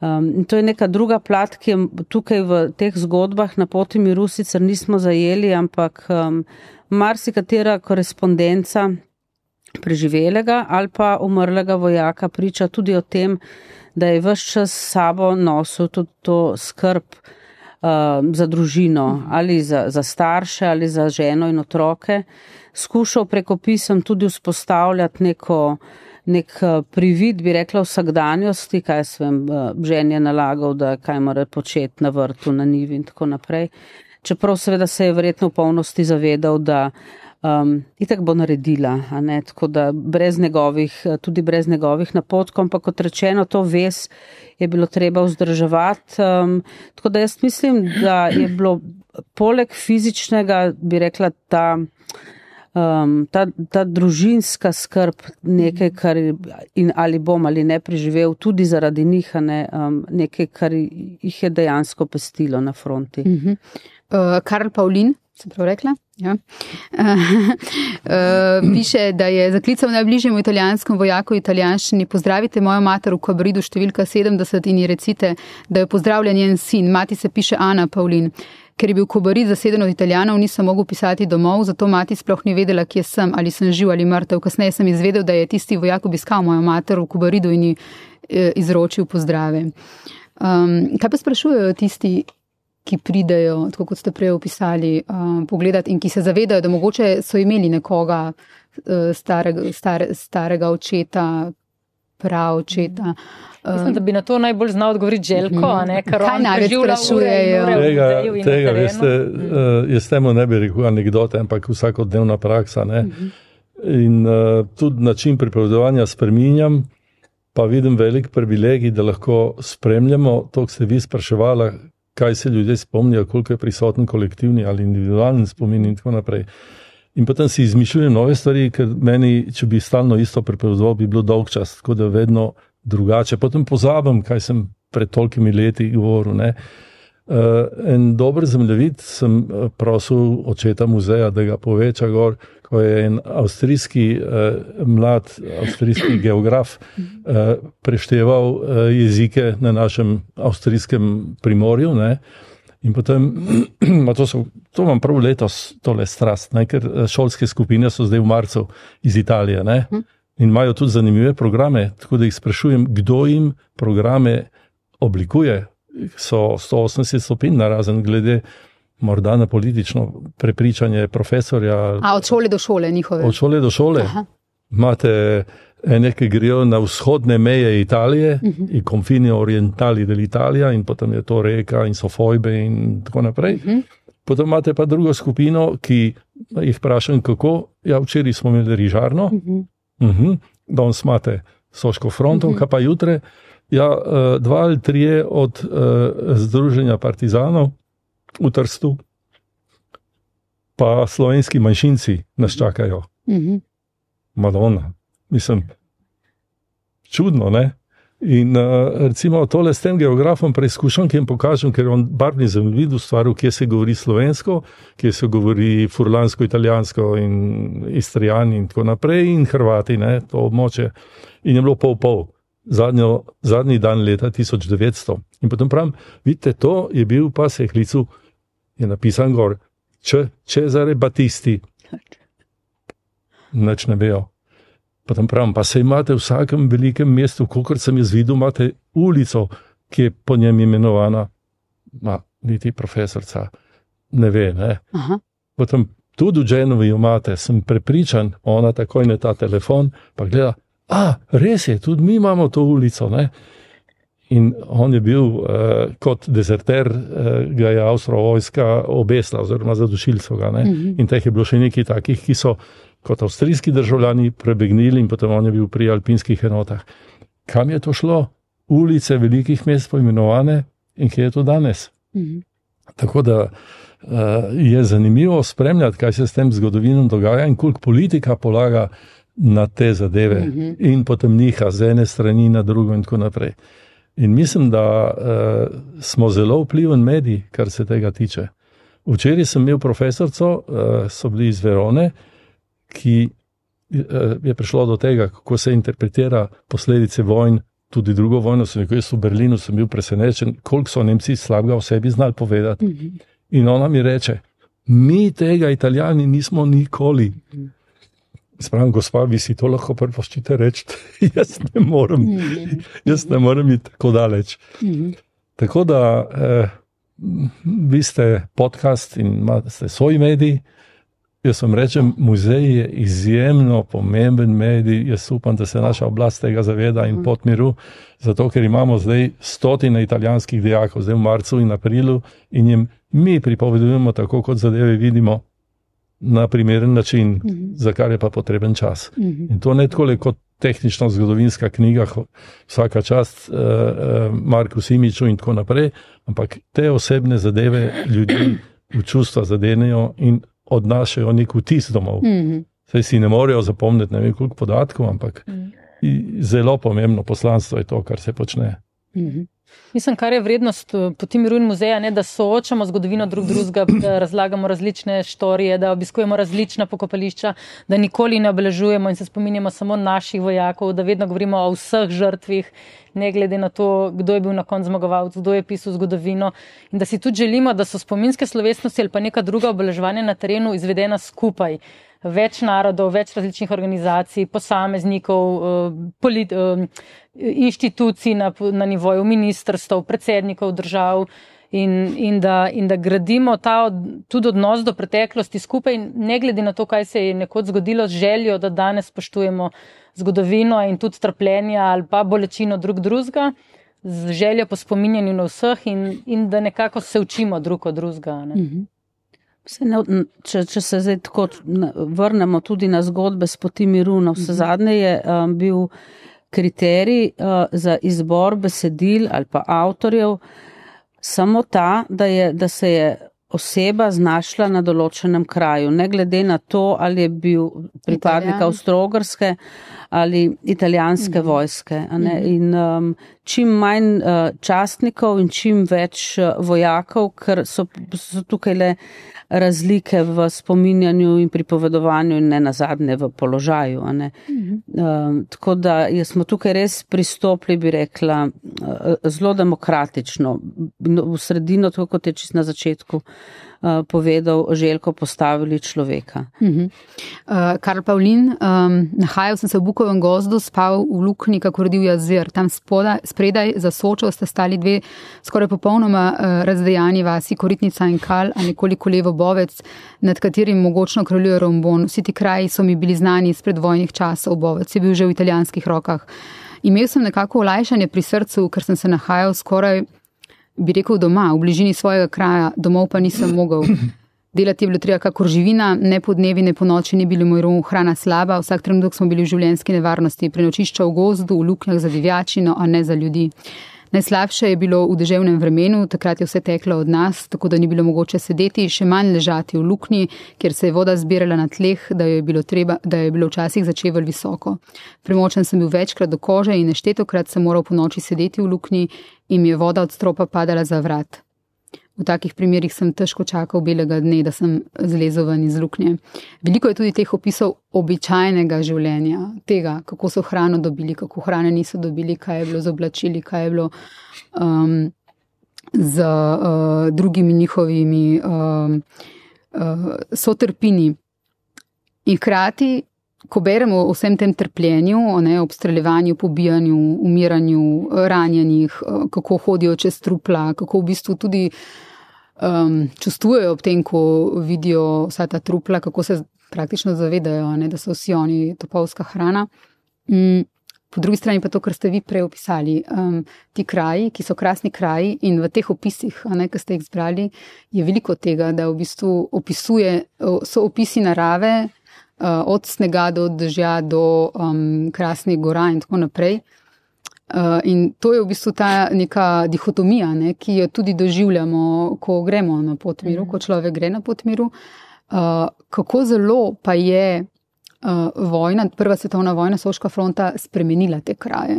In to je neka druga plat, ki je tukaj v teh zgodbah na poti miru sicer nismo zajeli, ampak marsikatera korespondenca preživelega ali pa umrlega vojaka priča tudi o tem, da je ves čas s sabo nosil tudi to skrb za družino ali za starše ali za ženo in otroke. Skušal preko pisem tudi vzpostavljati nek privid, bi rekla, vsakdanjosti, kaj svem ženi je nalagal, da kaj mora početi na vrtu, na njivi in tako naprej. Čeprav seveda se je verjetno v polnosti zavedal, da itak bo naredila, a ne, tako da tudi brez njegovih napotkov, ampak kot rečeno, to vez je bilo treba vzdrževati. Tako da jaz mislim, da je bilo poleg fizičnega, bi rekla, ta družinska skrb nekaj, kar ali bom ali ne preživel, tudi zaradi njih, nekaj, kar jih je dejansko pestilo na fronti. Karl Pavlin, sem prav rekla? Ja. Piše, da je zaklical najbližjemu italijanskemu vojaku v italijanščini: pozdravite mojo mater v Kobaridu številka 70 in ji recite, da jo pozdravlja njen sin. Mati se piše Ana Pavlin. Ker je bil Kobarid zaseden od Italijanov, nisem mogel pisati domov, zato mati sploh ni vedela, kje sem, ali sem živ ali mrtev. Kasneje sem izvedel, da je tisti vojak obiskal mojo mater v Kobaridu in ji izročil pozdrave. Kaj pa sprašujejo tisti, ki pridejo, tako kot ste prej opisali, pogledati in ki se zavedajo, da mogoče so imeli nekoga starega očeta, praočeta. Mislim, da bi na to najbolj znal odgovoriti Željko, a ne, kar on preživlja ure. Tega, veste, jaz temu ne bi rekel anekdote, ampak vsakodnevna praksa, ne. In tudi način pripovedovanja spreminjam, pa vidim velik privilegij, da lahko spremljamo to, ko ste vi spraševala, kaj se ljudje spomnijo, koliko je prisoten kolektivni ali individualni spomin in tako naprej. In potem si izmišljujem nove stvari, ker meni, če bi stalno isto pripovedoval, bi bilo dolg čas, tako da vedno drugače. Potem pozabim, kaj sem pred tolikimi leti govoril, ne. En dober zemljevid sem prosil očeta muzeja, da ga poveča gor, ko je en mlad avstrijski geograf prešteval jezike na našem avstrijskem primorju, ne. In potem, to imam prav letos, tole strast, ne, ker šolske skupine so zdaj v marcu iz Italije, ne. In imajo tudi zanimive programe, tako da jih sprašujem, kdo jim programe oblikuje. So 180 stopinj narazen glede morda na politično prepričanje profesorja. Od šole do šole njihove? Od šole do šole. Aha. Imate ene, ki grejo na vzhodne meje Italije, i confini orientali dell'Italia, in potem je to reka in so fojbe in tako naprej. Potem imate pa drugo skupino, ki jih vprašam, kako. Ja, včeraj smo imeli rižarno, danes imate Soško fronto, kaj pa jutre? Ja, 2 ali 3 od Združenja partizanov v Trstu, pa slovenski manjšinci nas čakajo. Madonna. Mislim, čudno, ne? In recimo tole s tem geografom preizkušam, ki jim pokažem, ker on barvni zemljevid ustvaril, kje se govori slovensko, kje se govori furlansko, italijansko in istrijani in tako naprej, in Hrvati, ne, to območje. In je bilo pol. Zadnji dan leta 1900. In potem pravim, vidite, to je bil pa se klicu, je napisan gor, Cesare Battisti. Nič ne bejo. Potem pravim, pa se imate v vsakem velikem mestu, kolikor sem jaz videl, imate ulico, ki je po njem imenovana, niti profesorca ne ve, ne. Aha. Potem tudi v Genovi imate, sem prepričan, ona takoj na ta telefon, pa gleda, res je, tudi mi imamo to ulico, ne. In on je bil kot dezerter, ga je Avstro-vojska obesla, oziroma zadušili so ga, ne. In teh je bilo še nekaj takih, ki so kot avstrijski državljani prebegnili in potem on je bil pri alpinskih enotah. Kam je to šlo? Ulice velikih mest poimenovane in kje je to danes? Tako da je zanimivo spremljati, kaj se s tem zgodovinom dogaja in koliko politika polaga na te zadeve in potem njiha z ene strani na drugo in tako naprej. In mislim, da smo zelo vpliven medij, kar se tega tiče. Včeraj sem imel profesorco, so bili iz Verone, ki je prišlo do tega, kako se interpretira posledice vojn, tudi drugo vojno, jaz v Berlinu sem bil presenečen, koliko so Nemci slabega o sebi znali povedati. In ona mi reče, mi tega Italijani nismo nikoli. Spravim, gospa, vi si to lahko prvoščite reči, jaz ne morem iti tako daleč. Tako da vi ste podcast in ste svoj medij. Jaz vam rečem, muzej je izjemno pomemben medij, jaz upam, da se naša oblast tega zaveda in pot miru, zato ker imamo zdaj 100 italijanskih dijakov, zdaj v marcu in aprilu, in jim mi pripovedujemo tako, kot zadeve vidimo, na primeren način, za kar je pa potreben čas. In to ne tako kot tehnična zgodovinska knjiga, vsaka čast Marku Simiču in tako naprej, ampak te osebne zadeve ljudi v čustva zadenejo in odnašajo nek vtis domov. Saj si ne morejo zapomniti ne vem koliko podatkov, ampak zelo pomembno poslanstvo je to, kar se počne. Mislim, kar je vrednost Poti miru in muzeja, ne, da soočamo zgodovino drugega, da razlagamo različne štorije, da obiskujemo različna pokopališča, da nikoli ne obeležujemo in se spominjamo samo naših vojakov, da vedno govorimo o vseh žrtvih, ne glede na to, kdo je bil na koncu zmagovalec, kdo je pisal zgodovino, in da si tudi želimo, da so spominske slovesnosti ali pa neka druga obeleževanja na terenu izvedena skupaj. Več narodov, več različnih organizacij, posameznikov, inštitucij na nivoju ministrstv, predsednikov držav in da gradimo tudi odnos do preteklosti skupaj, ne glede na to, kaj se je nekoč zgodilo, z željo, da danes spoštujemo zgodovino in tudi trpljenja ali pa bolečino drugega, z željo po spominjanju na vseh in da nekako se učimo drug od drugega. Če se zdaj tako vrnemo tudi na zgodbe s Poti miru, na vse zadnje je bil kriterij za izbor besedil ali pa avtorjev samo ta, da se je oseba znašla na določenem kraju, ne glede na to, ali je bil pripadnik Avstro-Ogrske ali italijanske vojske. In čim manj častnikov in čim več vojakov, ker so tukaj le razlike v spominjanju in pripovedovanju in ne nazadnje v položaju. Tako da smo tukaj res pristopili, bi rekla, zelo demokratično. V sredino, tako kot je čisto na začetku povedal Željko, postavili človeka. Karl Pavlin, nahajal sem se v Bukovem gozdu, spal v luknji, kako rodil jazir. Tam spredaj za Sočo sta stali dve skoraj popolnoma razdejani vasi, Koritnica in Kal, a nekoliko levo Bovec, nad katerim mogočno kraljuje Rombon. Vsi ti kraji so mi bili znani iz predvojnih časov. Bovec je bil že v italijanskih rokah. Imel sem nekako olajšanje pri srcu, ker sem se nahajal skoraj, bi rekel, doma, v bližini svojega kraja, domov pa nisem mogel. Delati je bilo treba kakor živina, ne po dnevi, ne po noči ni bilo moj rom, hrana slaba, vsak trenutek smo bili v življenjski nevarnosti, prenočišča v gozdu, v luknjah za divjačino, a ne za ljudi. Najslabše je bilo v deževnem vremenu, takrat je vse teklo od nas, tako da ni bilo mogoče sedeti, še manj ležati v luknji, kjer se je voda zbirala na tleh, da je bilo včasih začevelj visoko. Premočen sem bil večkrat do kože in neštetokrat sem moral po noči sedeti v luknji in mi je voda od stropa padala za vrat. V takih primerih sem težko čakal belega dne, da sem zlezel ven iz luknje. Veliko je tudi teh opisov običajnega življenja, tega, kako so hrano dobili, kako hrane niso dobili, kaj je bilo z oblačili, kaj je bilo z drugimi njihovimi sotrpini. In hkrati, ko beremo o vsem tem trpljenju, o obstreljevanju, pobijanju, umiranju, ranjenih, kako hodijo čez trupla, kako v bistvu tudi čustvujejo ob tem, ko vidijo vsa ta trupla, kako se praktično zavedajo, da so vsi oni topovska hrana. Po drugi strani pa to, kar ste vi prej opisali, ti kraji, ki so krasni kraji in v teh opisih, ki ste jih zbrali, je veliko tega, da v bistvu so opisi narave, od snega do dežja do krasnih gora in tako naprej. In to je v bistvu ta neka dihotomija, ne, ki jo tudi doživljamo, ko gremo na pot miru, ko človek gre na pot miru. Kako zelo pa je vojna, prva svetovna vojna, Soška fronta spremenila te kraje?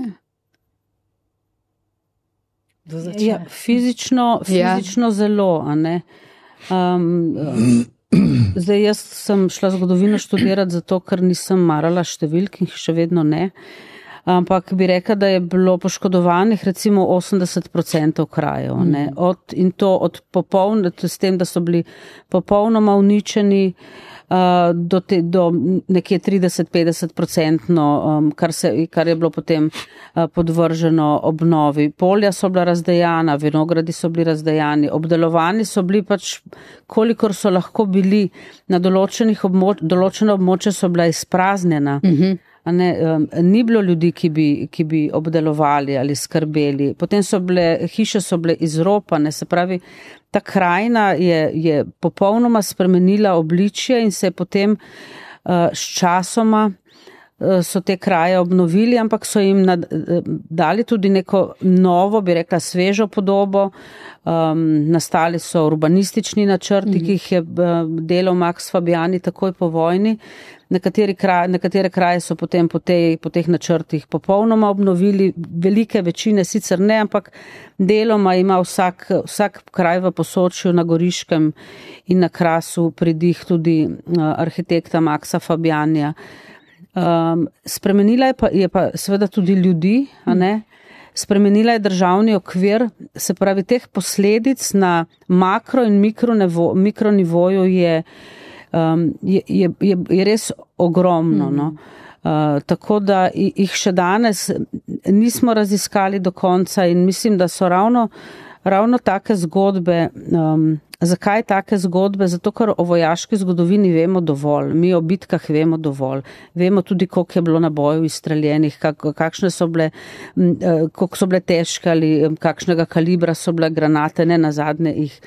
Ja, fizično zelo, a ne. Zdaj, jaz sem šla zgodovino študirati zato, ker nisem marala številk in še vedno ne. Ampak bi rekla, da je bilo poškodovanih recimo 80% krajev. Ne? S tem, da so bili popolnoma uničeni do nekje 30-50%, kar je bilo potem podvrženo obnovi. Polja so bila razdejana, vinogradi so bili razdejani, obdelovani so bili pač, kolikor so lahko bili, na določena območja so bila izpraznjena. Ni bilo ljudi, ki bi obdelovali ali skrbeli. Potem hiše so bile izropane, se pravi, ta krajina je popolnoma spremenila obličje in se je potem s časoma so te kraje obnovili, ampak so jim dali tudi neko novo, bi rekla, svežo podobo. Nastali so urbanistični načrti, ki jih je delal Max Fabiani takoj po vojni. Nekatere kraje so potem po teh načrtih popolnoma obnovili, velike večine sicer ne, ampak deloma ima vsak kraj v Posočju, na Goriškem in na Krasu pridih tudi arhitekta Maxa Fabianija. Spremenila je pa seveda tudi ljudi, a ne? Spremenila je državni okvir, se pravi, teh posledic na makro in mikronivoju je res ogromno. No? Tako da jih še danes nismo raziskali do konca in mislim, da so ravno take zgodbe. Zakaj take zgodbe? Zato, ker o vojaški zgodovini vemo dovolj. Mi o bitkah vemo dovolj. Vemo tudi, koliko je bilo nabojev izstreljenih, kakšne so bile, koliko so bile težke ali kakšnega kalibra so bile granate, ne nazadnje jih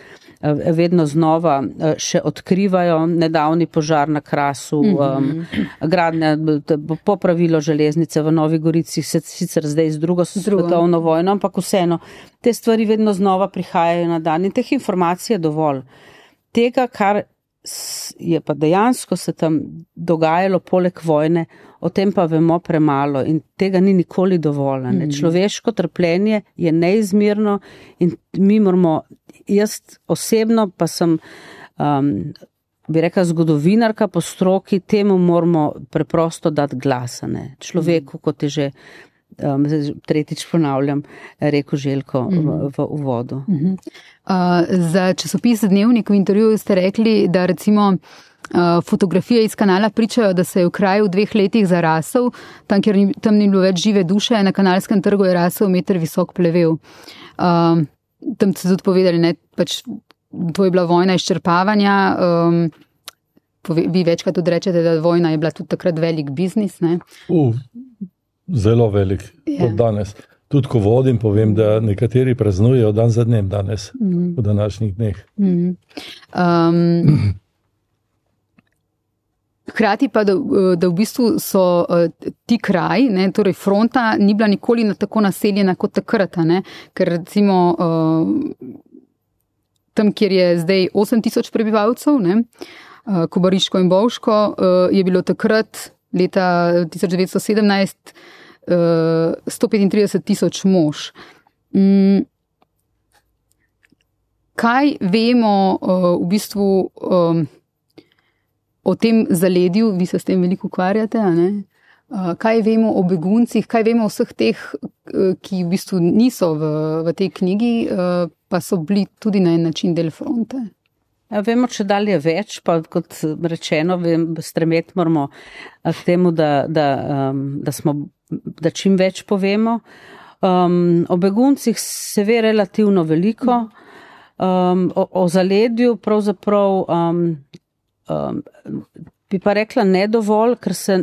vedno znova še odkrivajo. Nedavni požar na Krasu, gradnja, popravilo železnice v Novi Gorici, sicer zdaj z drugo svetovno vojno, ampak vseeno, te stvari vedno znova prihajajo na dan in teh informacij je dovolj. Tega, kar je pa dejansko se tam dogajalo poleg vojne, o tem pa vemo premalo in tega ni nikoli dovolj. Človeško trpljenje je neizmerno in mi moramo, jaz osebno pa sem, bi rekla, zgodovinarka po stroki, temu moramo preprosto dati glas. Človeku, kot je že tretjič ponavljam, rekel Željko v uvodu. Za časopis Dnevnik v intervjuju ste rekli, da recimo fotografije iz kanala pričajo, da se je v kraju v 2 letih zarasel, tam, kjer tam ni bilo več žive duše, na Kanalskem trgu je rasel 1 meter visok plevel. Tam ste tudi povedali, ne, pač to je bila vojna izčrpavanja. Vi večkrat tudi rečete, da vojna je bila tudi takrat velik biznis. Ne? Zelo velik, kot danes. Tudi ko vodim, povem, da nekateri praznujejo dan za dnem danes, v današnjih dneh. Hkrati pa, da v bistvu so ti kraji, ne, torej fronta, ni bila nikoli tako naseljena kot takrat, ne, ker recimo tam, kjer je zdaj 8,000 prebivalcev, ne, Kobariško in Bovško, je bilo takrat leta 1917 135,000 mož. Kaj vemo v bistvu o tem zaledju, vi se s tem veliko ukvarjate, a ne? Kaj vemo o beguncih, kaj vemo o vseh teh, ki v bistvu niso v tej knjigi, pa so bili tudi na en način del fronte? Vemo, če dalje več, pa kot rečeno, stremeti moramo k temu, da čim več povemo. O beguncih se ve relativno veliko, o zaledju pravzaprav bi pa rekla ne dovolj, ker se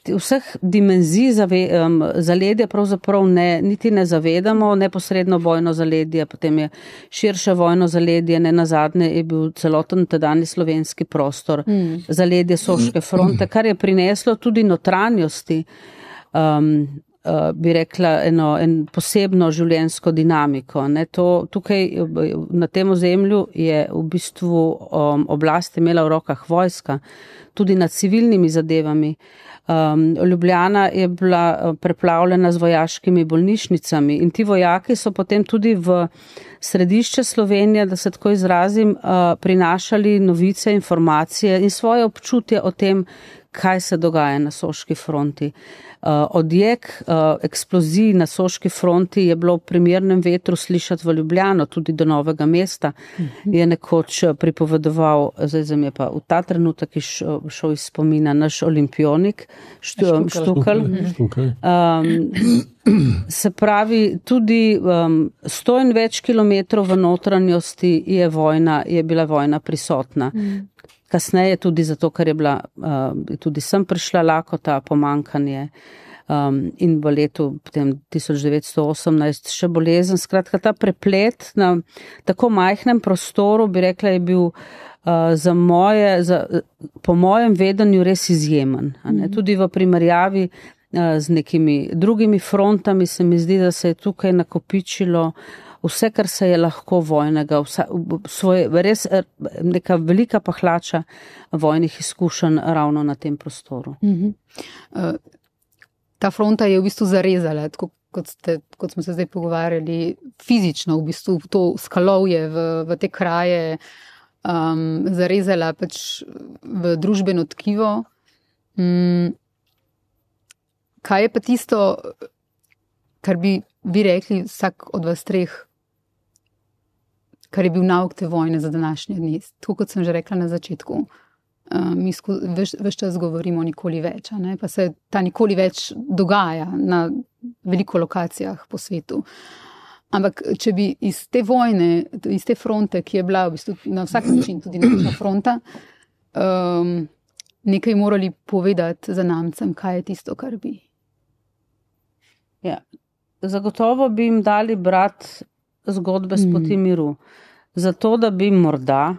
vseh dimenzij zaledja pravzaprav niti ne zavedamo. Neposredno vojno zaledje, potem je širše vojno zaledje, ne nazadnje je bil celoten tedajni slovenski prostor, zaledje Soške fronte, kar je prineslo tudi notranjosti bi rekla, en posebno življenjsko dinamiko. Ne. Tukaj na tem ozemlju je v bistvu oblast imela v rokah vojska, tudi nad civilnimi zadevami. Ljubljana je bila preplavljena z vojaškimi bolnišnicami in ti vojaki so potem tudi v središče Slovenije, da se tako izrazim, prinašali novice, informacije in svoje občutje o tem, kaj se dogaja na Soški fronti. Odjek eksplozij na Soški fronti je bilo v primernem vetru slišati v Ljubljano, tudi do Novega mesta. Je nekoč pripovedoval, zdaj mi je pa v ta trenutek šel iz spomina naš olimpionik, Štukl. Se pravi, tudi 100 in več kilometrov v notranjosti je bila vojna prisotna. Kasneje tudi zato, ker je bila, tudi sem prišla lakota, pomankanje in v letu 1918 še bolezen. Skratka, ta preplet na tako majhnem prostoru, bi rekla, je bil po mojem vedenju res izjemen. Tudi v primerjavi z nekimi drugimi frontami se mi zdi, da se je tukaj nakopičilo vse, kar se je lahko vojnega, res neka velika pahlača vojnih izkušenj ravno na tem prostoru. Ta fronta je v bistvu zarezala, tako kot smo se zdaj pogovarjali, fizično v bistvu to skalovje v te kraje zarezala pač v družbeno tkivo. Kaj je pa tisto, kar bi vi rekli vsak od vas treh, kar je bil nauk te vojne za današnje dni? Tako kot sem že rekla na začetku, mi ves čas govorimo nikoli več, pa se ta nikoli več dogaja na veliko lokacijah po svetu. Ampak če bi iz te vojne, iz te fronte, ki je bila v bistvu na vsak način tudi naša fronta, nekaj morali povedati za namcem, kaj je tisto, kar bi. Ja, zagotovo bi jim dali brati zgodbe s poti miru. Zato, da bi morda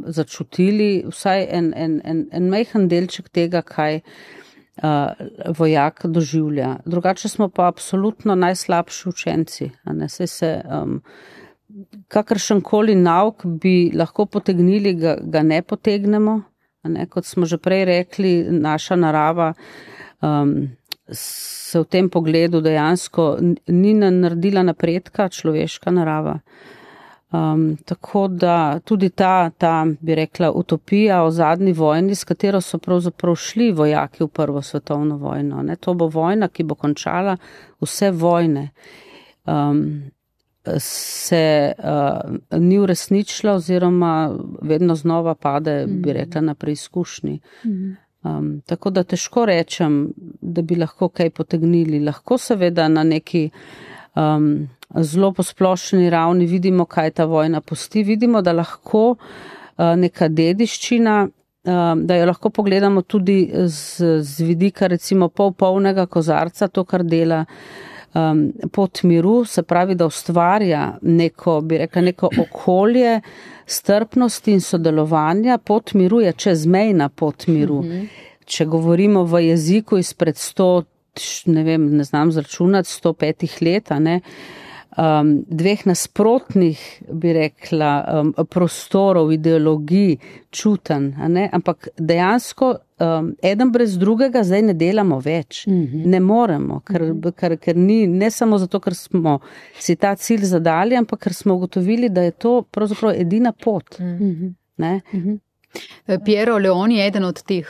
začutili vsaj en majhen delček tega, kaj vojak doživlja. Drugače smo pa absolutno najslabši učenci. Saj se kakršenkoli nauk bi lahko potegnili, ga ne potegnemo. Kot smo že prej rekli, naša narava se v tem pogledu dejansko ni naredila napredka, človeška narava. Tako da tudi ta, bi rekla, utopija o zadnji vojni, s katero so pravzaprav šli vojaki v Prvo svetovno vojno. To bo vojna, ki bo končala vse vojne. Se ni uresničila oziroma vedno znova pade, bi rekla, na preizkušnji. Tako da težko rečem, da bi lahko kaj potegnili. Lahko seveda na neki zelo posplošeni ravni vidimo, kaj ta vojna pusti. Vidimo, da lahko neka dediščina, da jo lahko pogledamo tudi z vidika recimo polnega kozarca, to, kar dela pot miru, se pravi, da ustvarja neko, bi rekla, neko okolje strpnosti in sodelovanja. Pot miru je čezmejna pot miru. Če govorimo v jeziku izpred 100, ne znam zračunati, 105 let, dveh nasprotnih, bi rekla, prostorov, ideologij, čutenj, ampak dejansko eden brez drugega zdaj ne delamo več. Ne moremo, ker ni, ne samo zato, ker smo si ta cilj zadali, ampak ker smo ugotovili, da je to pravzaprav edina pot. Piero Leoni je eden od teh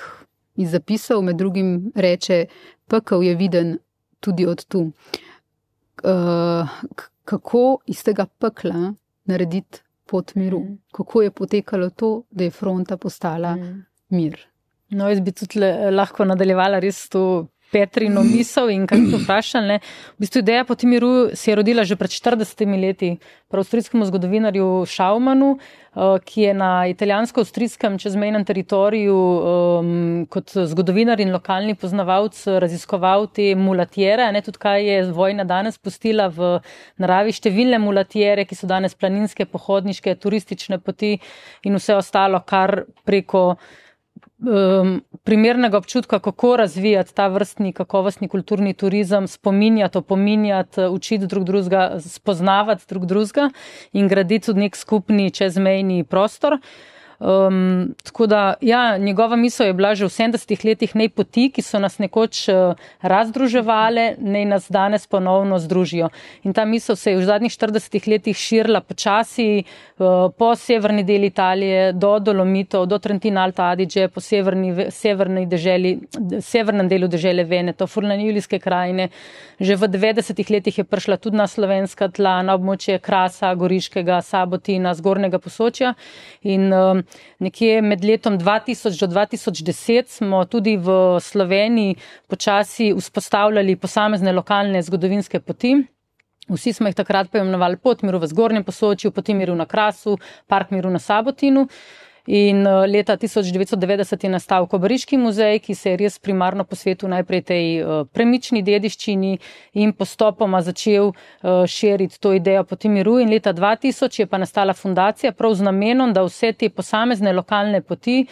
iz zapisov, med drugim reče, pekel je viden tudi od tu. Kako iz tega pekla narediti pot miru? Kako je potekalo to, da je fronta postala mir? No, jaz bi tudi lahko nadaljevala res to Petrino misel in kaj to vprašali. V bistvu ideja poti miru se je rodila že pred 40 leti pri avstrijskemu zgodovinarju Schaumanu, ki je na italijansko-avstrijskem čezmejnem teritoriju kot zgodovinar in lokalni poznavalc raziskoval te mulatjere, tudi kaj je vojna danes pustila v naravi, številne mulatjere, ki so danes planinske, pohodniške, turistične poti in vse ostalo, kar preko primernega občutka, kako razvijati ta vrstni kakovostni kulturni turizem, spominjati, opominjati, učiti drug drugega, spoznavati drug drugega in graditi tudi nek skupni čezmejni prostor. Tako da, ja, njegova misel je bila že v 70 letih, naj poti, ki so nas nekoč razdruževale, naj nas danes ponovno združijo. In ta misel se je v zadnjih 40 letih širila počasi po severni del Italije, do Dolomitov, do Trentina Alta Adige, po severnem delu dežele Veneto, Furlanijske krajine. Že v 90 letih je prišla tudi na slovenska tla, na območje Krasa, Goriškega, Sabotina, Zgornjega Posočja in nekje med letom 2000 do 2010 smo tudi v Sloveniji počasi vzpostavljali posamezne lokalne zgodovinske poti. Vsi smo jih takrat poimenovali Pot miru v Zgornjem Posočju, Poti miru na Krasu, Park miru na Sabotinu. In leta 1990 je nastal Kobariški muzej, ki se je res primarno posvetil najprej tej premični dediščini in postopoma začel širiti to idejo Poti miru. In leta 2000 je pa nastala fundacija prav z namenom, da vse te posamezne lokalne poti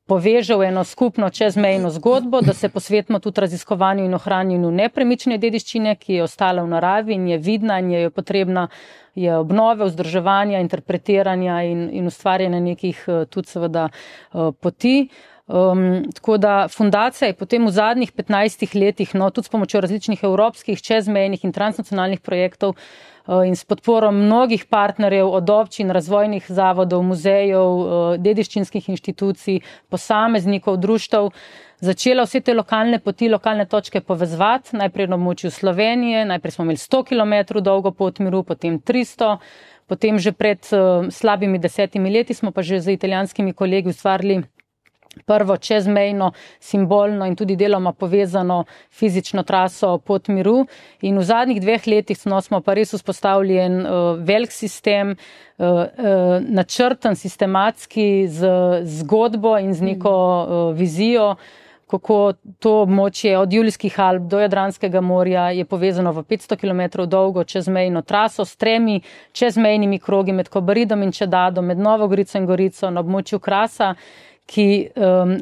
poveže v eno skupno čezmejno zgodbo, da se posvetimo tudi raziskovanju in ohranjanju nepremične dediščine, ki je ostala v naravi in je vidna in je potrebna je obnove, vzdrževanja, interpretiranja in ustvarjanja nekih tudi seveda poti. Tako da fundacija je potem v zadnjih 15 letih, tudi s pomočjo različnih evropskih, čezmejnih in transnacionalnih projektov in s podporo mnogih partnerjev od občin, razvojnih zavodov, muzejev, dediščinskih inštitucij, posameznikov, društev, začela vse te lokalne poti, lokalne točke povezovati, najprej na območju Slovenije, najprej smo imeli 100 km dolgo pot miru, potem 300, potem že pred slabimi 10 leti smo pa že z italijanskimi kolegi ustvarili prvo čezmejno, simbolno in tudi deloma povezano fizično traso Pot miru. In v zadnjih 2 letih smo pa res vzpostavili en velik sistem, načrten, sistematski, z zgodbo in z neko vizijo, kako to območje od Julijskih Alp do Jadranskega morja je povezano v 500 km dolgo čezmejno traso s 3 čezmejnimi krogi med Kobaridom in Čedadom, med Novo Gorico in Gorico na območju Krasa, ki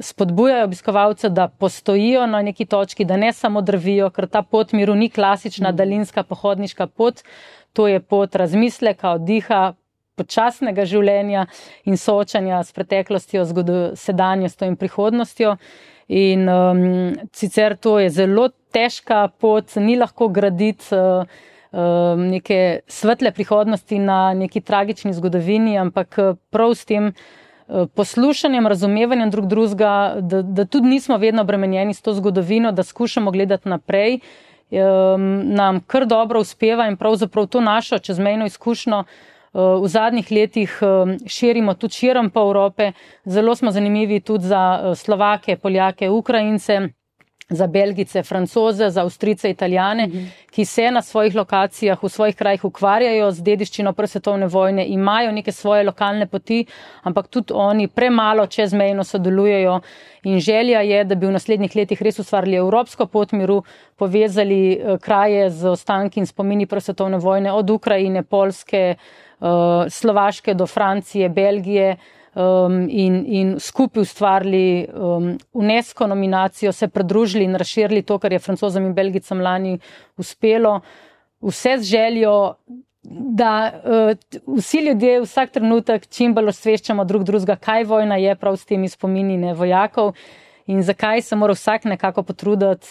spodbujajo obiskovalce, da postojijo na neki točki, da ne samo drvijo, ker ta pot miru ni klasična daljinska pohodniška pot, to je pot razmisleka, oddiha, počasnega življenja in soočanja s preteklostjo, sedanjostjo in prihodnostjo. In sicer to je zelo težka pot, ni lahko graditi neke svetle prihodnosti na neki tragični zgodovini, ampak prav s tem poslušanjem, razumevanjem drug drugega, da tudi nismo vedno obremenjeni s to zgodovino, da skušamo gledati naprej, nam kar dobro uspeva in pravzaprav to našo čezmejno izkušnjo v zadnjih letih širimo tudi širom po Evrope. Zelo smo zanimivi tudi za Slovake, Poljake, Ukrajince, za Belgice, Francoze, za Avstrijce, Italijane, ki se na svojih lokacijah, v svojih krajih ukvarjajo z dediščino prve svetovne vojne, imajo neke svoje lokalne poti, ampak tudi oni premalo čezmejno sodelujejo in želja je, da bi v naslednjih letih res ustvarili evropsko pot miru, povezali kraje z ostanki in spomini prve svetovne vojne od Ukrajine, Poljske, Slovaške do Francije, Belgije, in skupaj ustvarili UNESCO nominacijo, se pridružili in razširili to, kar je Francozom in Belgicam lani uspelo. Vse z željo, da vsi ljudje vsak trenutek čim bolj osveščamo drug drugega, kaj vojna je prav s temi spomini vojakov in zakaj se mora vsak nekako potruditi,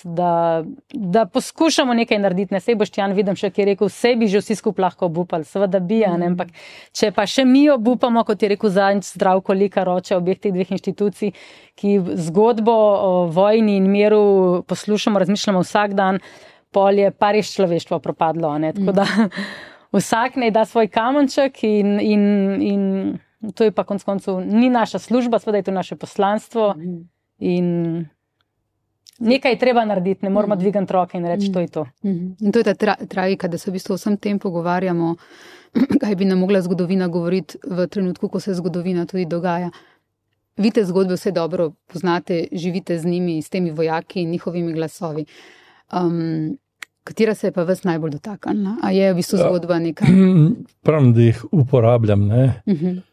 da poskušamo nekaj narediti. Ne, sej Boštjan vidim še, ki je rekel, vse bi že vsi skupaj lahko obupali, seveda bi, ampak če pa še mi obupamo, kot je rekel zadnjič Zdravko Likar, oče obeh teh 2 inštitucij, ki zgodbo o vojni in miru poslušamo, razmišljamo vsak dan, pol je pa res človeštvo propadlo. Tako da vsak naj da svoj kamenček in to je pa konec koncev ni naša služba, seveda je to naše poslanstvo. In nekaj je treba narediti, ne moramo dvigati roke in reči, to je to. In to je ta tragika, da se v bistvu vsem tem pogovarjamo, kaj bi nam mogla zgodovina govoriti v trenutku, ko se zgodovina tudi dogaja. Vi te zgodbe vse dobro poznate, živite z njimi, s temi vojaki in njihovimi glasovi. Katera se je pa vas najbolj dotaknila? A je v bistvu zgodba neka? Pravim, da jih uporabljam, ne?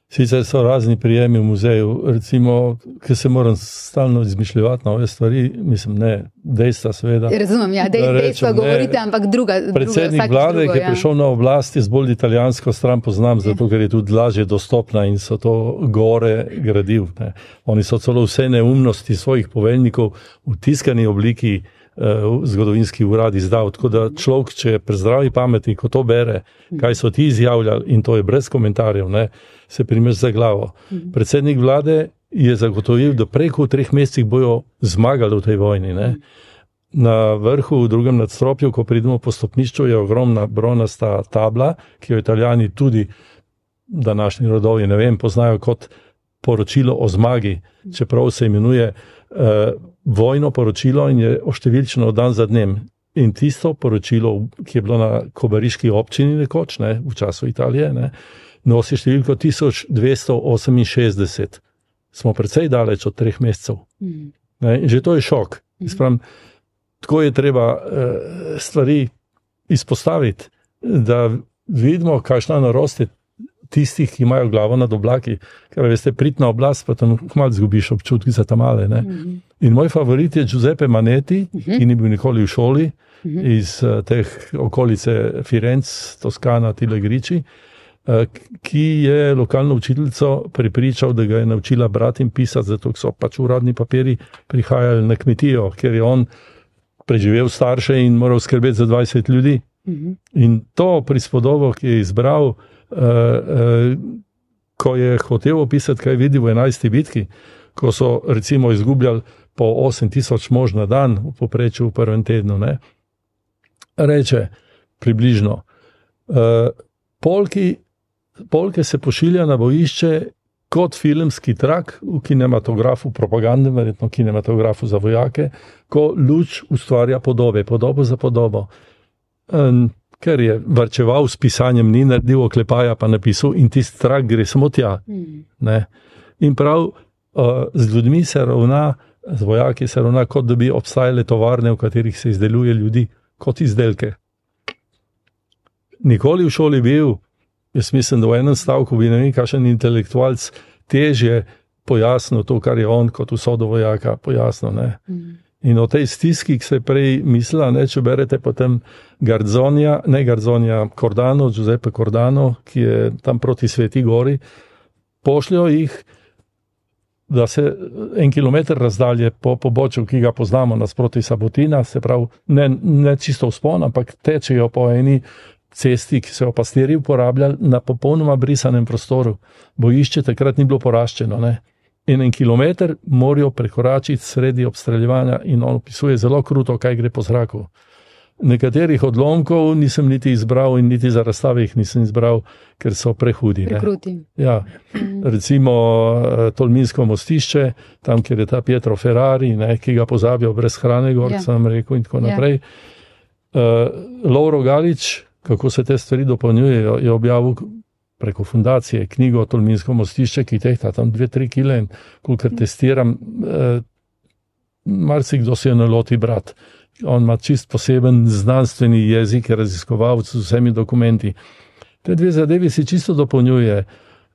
Sicer so razni prijemi v muzeju, recimo, ki se moram stalno izmišljati nove stvari, mislim, ne, dejstva seveda. Razumem, ja, dejstva govorite, ampak druga. Predsednik vlade, ki je prišel na oblast, jaz bolj italijansko stran poznam, zato ker je tudi lažje dostopna in so to gore gradil. Ne. Oni so celo vse neumnosti svojih poveljnikov v tiskani obliki zgodovinski urad izdal, tako da človek, če je pri zdravi pameti, ko to bere, kaj so ti izjavljali, in to je brez komentarjev, ne, se primeš za glavo. Predsednik vlade je zagotovil, da preko 3 mesecih bojo zmagali v tej vojni. Ne. Na vrhu, v drugem nadstropju, ko pridemo po stopnišču, je ogromna bronasta tabla, ki jo Italijani tudi, današnji rodovi, ne vem, poznajo kot poročilo o zmagi, čeprav se imenuje vojno poročilo in je oštevilčno dan za dnem. In tisto poročilo, ki je bilo na kobariški občini nekoč, ne, v času Italije, ne, nosi številko 1268. Smo precej daleč od 3 mesecev. Ne, in že to je šok. Spravim, tako je treba stvari izpostaviti, da vidimo, kakšna norost je tistih, ki imajo glavo nad oblaki, ker veste, pridna oblast, pa tam malo zgubiš občutki za tamale. Ne? In moj favorit je Giuseppe Manetti, ki ni bil nikoli v šoli, iz teh okolice Firenc, Toskana, Tile Griči, ki je lokalno učiteljico prepričal, da ga je naučila brati in pisati, zato so pač uradni papiri prihajali na kmetijo, ker je on preživel starše in moral skrbeti za 20 ljudi. In to prispodobo, ki je izbral, ko je hotel opisati, kaj vidi v 11. bitki, ko so recimo izgubljali po 8000 mož na dan v povprečju v prvem tednu, ne? Reče približno, polke se pošilja na bojišče kot filmski trak v kinematografu, propagandnem, verjetno kinematografu za vojake, ko luč ustvarja podobe, podobo za podobo. Ker je varčeval s pisanjem, ni naredil oklepaja, pa napisal in tisti trak gre samo tja. Ne? In prav z ljudmi se ravna, z vojaki se ravna, kot da bi obstajale tovarne, v katerih se izdeluje ljudi kot izdelke. Nikoli v šoli bil, jaz mislim, da v enem stavku bi ne vem, kakšen intelektualc težje pojasnil to, kar je on kot usodo vojaka pojasnil. Ne? In o tej stiski, ki se je prej mislila, ne, če berete potem Cordano, Giuseppe Cordano, ki je tam proti Sveti Gori, pošljajo jih, da se 1 kilometer razdalje po pobočju, ki ga poznamo nasproti Sabotina, se pravi, ne čisto vzpon, ampak tečejo po eni cesti, ki so jo pastirji uporabljali na popolnoma brisanem prostoru. Bojišče takrat ni bilo poraščeno, ne. 1 kilometer morajo prekoračiti sredi obstreljevanja in on opisuje zelo kruto, kaj gre po zraku. Nekaterih odlomkov nisem niti izbral in niti za razstave jih nisem izbral, ker so prehudi. Prekruti. Ja. Recimo Tolminsko mostišče, tam, kjer je ta Pietro Ferrari, ne, ki ga pozabijo brez hrane, gor, sem rekel, in tako naprej. Lovro Galič, kako se te stvari dopolnjujejo, je objavil preko fundacije knjigo Tolminsko mostišče, ki tehta tam 2-3 kile in kolikor testiram, marsikdo se je naloti brat. On ima čist poseben znanstveni jezik, raziskovalec z vsemi dokumenti. Te dve zadevi si čisto dopolnjuje,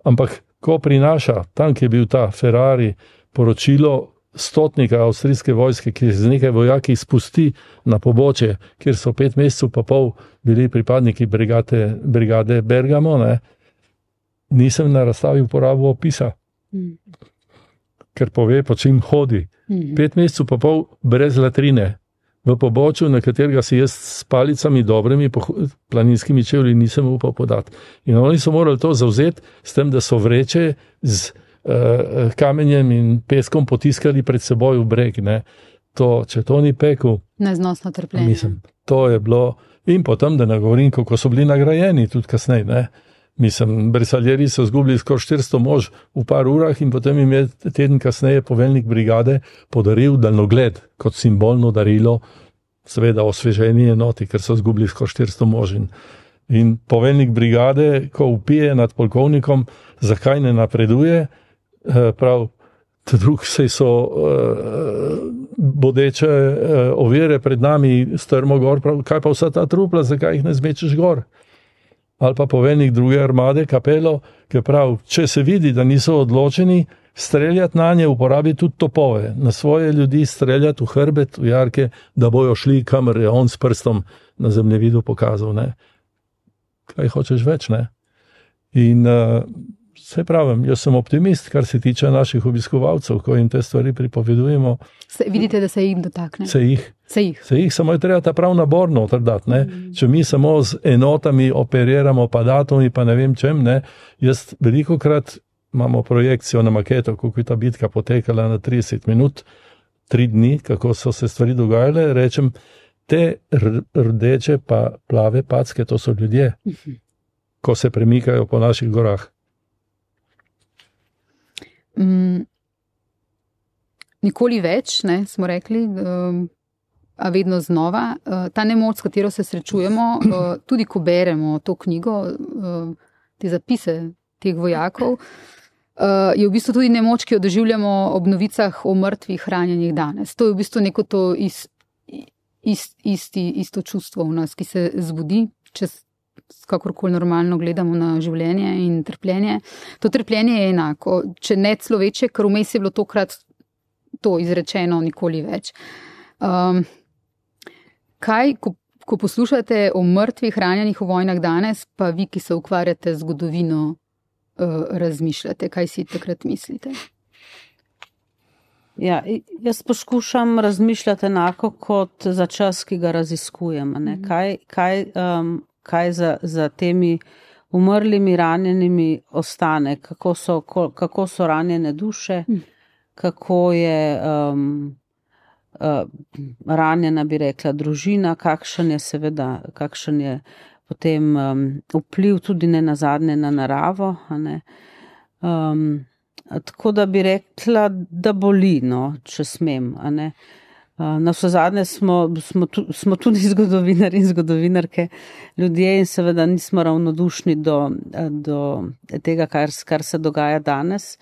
ampak ko prinaša, tam, ki je bil ta Ferrari, poročilo stotnika avstrijske vojske, ki z nekaj vojaki spusti na pobočje, kjer so 5 mesecev pa pol bili pripadniki brigade Bergamo, ne, nisem na razstavi uporabil opisa, ker pove, po čim hodi. 5 mesecev pa pol brez latrine, v pobočju, na katerega si jaz s palicami dobrimi planinskimi čevlji nisem upal podati. In oni so morali to zavzeti s tem, da so vreče z kamenjem in peskom potiskali pred seboj v breg. Ne. To, če to ni pekel, neznosno trpljenje. Mislim, to je bilo. In potem, da ne govorim, kako so bili nagrajeni tudi kasneje. Ne. Mislim, Bersaglieri so zgubili skoraj 400 mož v par urah in potem jim je teden kasneje poveljnik brigade podaril daljnogled kot simbolno darilo, seveda osveženi enoti, ker so zgubili skoraj 400 mož. In poveljnik brigade, ko vpije nad polkovnikom, zakaj ne napreduje, prav, drug se so bodeče ovire pred nami strmo gor, prav, kaj pa vsa ta trupla, zakaj jih ne zmečeš gor? ali pa poveljnik druge armade, Capello, ki pravi, če se vidi, da niso odločeni, streljati na nje, uporabi tudi topove, na svoje ljudi streljati v hrbet, v jarke, da bojo šli, kamor je on s prstom na zemljevidu pokazal. Ne? Kaj hočeš več, ne? In se pravim, jaz sem optimist, kar se tiče naših obiskovalcev, ko jim te stvari pripovedujemo. Vidite, da se jih dotakne? Se jih, samo je treba ta prav nabor noter dati, ne? Če mi samo z enotami operiramo, pa datumi, pa ne vem čem, ne? Jaz velikokrat imamo projekcijo na maketo, kako je ta bitka potekala na 30 minut, 3 dni, kako so se stvari dogajale, rečem, te rdeče pa plave packe, to so ljudje, ko se premikajo po naših gorah. Nikoli več, ne, smo rekli, a vedno znova. Ta nemoč, s katero se srečujemo, tudi ko beremo to knjigo, te zapise teh vojakov, je v bistvu tudi nemoč, ki jo doživljamo ob novicah o mrtvih ranjenih danes. To je v bistvu neko to isto čustvo v nas, ki se zbudi, če kakorkoli normalno gledamo na življenje in trpljenje. To trpljenje je enako, če ne celo večje, ker vmes je bilo tokrat to izrečeno nikoli več. Kaj, ko poslušate o mrtvih ranjenih v vojnah danes, pa vi, ki se ukvarjate z zgodovino, razmišljate? Kaj si takrat mislite? Ja, jaz poskušam razmišljati enako kot za čas, ki ga raziskujem. Ne? Kaj za temi umrlimi, ranjenimi ostane, kako so ranjene duše, kako je ranjena, bi rekla, družina, kakšen je potem vpliv tudi ne nazadnje na naravo. Ne? Tako da bi rekla, da boli, no, če smem. Ne? Na vse zadnje smo tudi zgodovinari in zgodovinarke ljudje in seveda nismo ravnodušni do tega, kar se dogaja danes.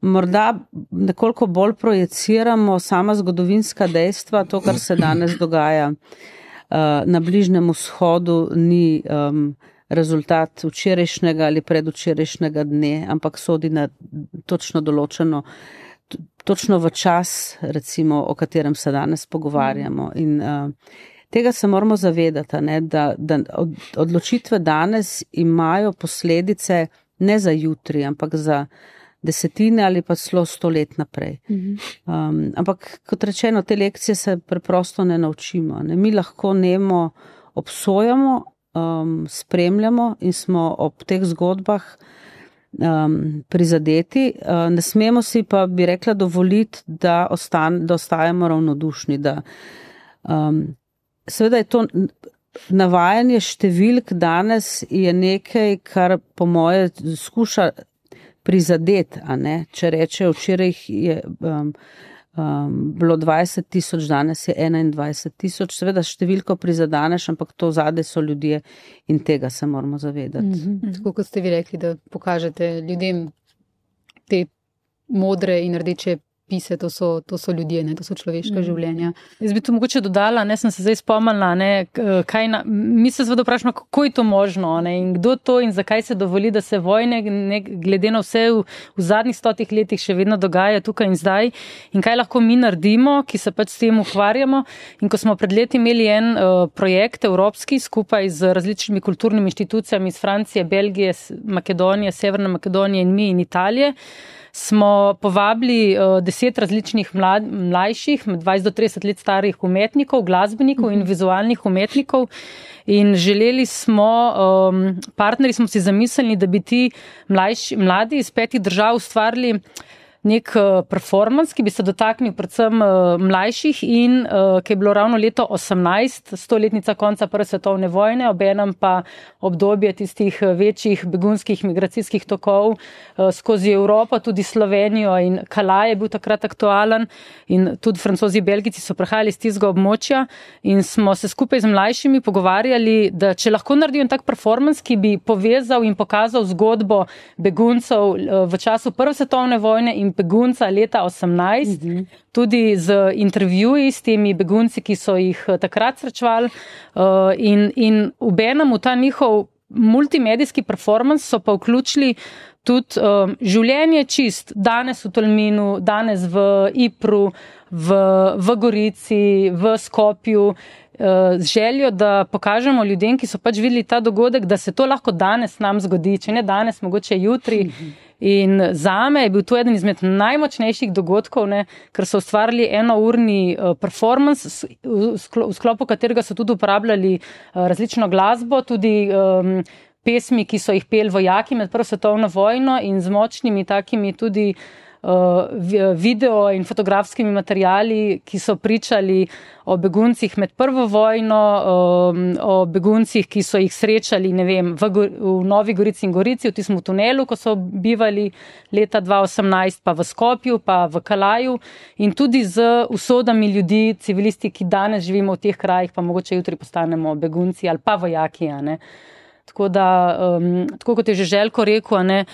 Morda nekoliko bolj projeciramo sama zgodovinska dejstva, to, kar se danes dogaja na Bližnjem vzhodu, ni rezultat včerajšnjega ali predvčerajšnjega dne, ampak sodi na točno določeno, točno v čas, recimo, o katerem se danes pogovarjamo. In tega se moramo zavedati, ne, da odločitve danes imajo posledice ne za jutri, ampak za desetine ali pa celo 100 let naprej. Ampak, kot rečeno, te lekcije se preprosto ne naučimo. Ne. Mi lahko nemo obsojamo, spremljamo in smo ob teh zgodbah prizadeti. Ne smemo si pa, bi rekla, dovoliti, da ostajamo ravnodušni. Seveda je to navajanje številk danes je nekaj, kar po moje skuša prizadeti, a ne? Če reče, včeraj je bilo 20,000, danes je 21,000. Seveda številko prizadaneš, ampak to zadaj so ljudje in tega se moramo zavedati. Tako kot ste vi rekli, da pokažete ljudem te modre in rdeče pise, to so ljudje, ne, to so človeška življenja. Jaz bi to mogoče dodala, ne, sem se zdaj spomnila, ne, mi se zveda vprašamo, kako je to možno, ne, in kdo to in zakaj se dovoli, da se vojne, ne, glede na vse v zadnjih 100 letih še vedno dogaja tukaj in zdaj, in kaj lahko mi naredimo, ki se pač s tem ukvarjamo. In ko smo pred leti imeli en projekt evropski skupaj z različnimi kulturnimi inštitucijami iz Francije, Belgije, Makedonije, Severne Makedonije in mi in Italije, smo povabili 10 različnih mlajših, 20 do 30 let starih umetnikov, glasbenikov in vizualnih umetnikov in želeli smo, partnerji smo si zamislili, da bi ti mladi iz 5 držav ustvarili nek performance, ki bi se dotaknil predvsem mlajših in ki je bilo ravno leto 18, 100-letnica konca Prve svetovne vojne, obenem pa obdobje tistih večjih begunskih migracijskih tokov skozi Evropo, tudi Slovenijo in Calais je bil takrat aktualen in tudi Francozi in Belgijci so prihajali iz tistega območja in smo se skupaj z mlajšimi pogovarjali, da če lahko naredijo tak performance, ki bi povezal in pokazal zgodbo beguncev v času Prve svetovne vojne in begunca leta 18, tudi z intervjuji s temi begunci, ki so jih takrat srečevali in obenem v ta njihov multimedijski performance so pa vključili tudi življenje čist, danes v Tolminu, danes v Ipru, v Gorici, v Skopju, z željo, da pokažemo ljudem, ki so pač videli ta dogodek, da se to lahko danes nam zgodi, če ne danes, mogoče jutri. In zame je bil to eden izmed najmočnejših dogodkov, ne, ker so ustvarili enourni performance, v sklopu katerega so tudi uporabljali različno glasbo, tudi pesmi, ki so jih peli vojaki med Prvo svetovno vojno in z močnimi takimi tudi video in fotografskimi materiali, ki so pričali o beguncih med Prvo vojno, o beguncih, ki so jih srečali, ne vem, v Novi Gorici in Gorici, v tistem tunelu, ko so bivali leta 2018, pa v Skopju, pa v Kalaju in tudi z usodami ljudi, civilisti, ki danes živimo v teh krajih, pa mogoče jutri postanemo begunci ali pa vojaki, ne. Tako da, tako kot je že Željko rekel, ne,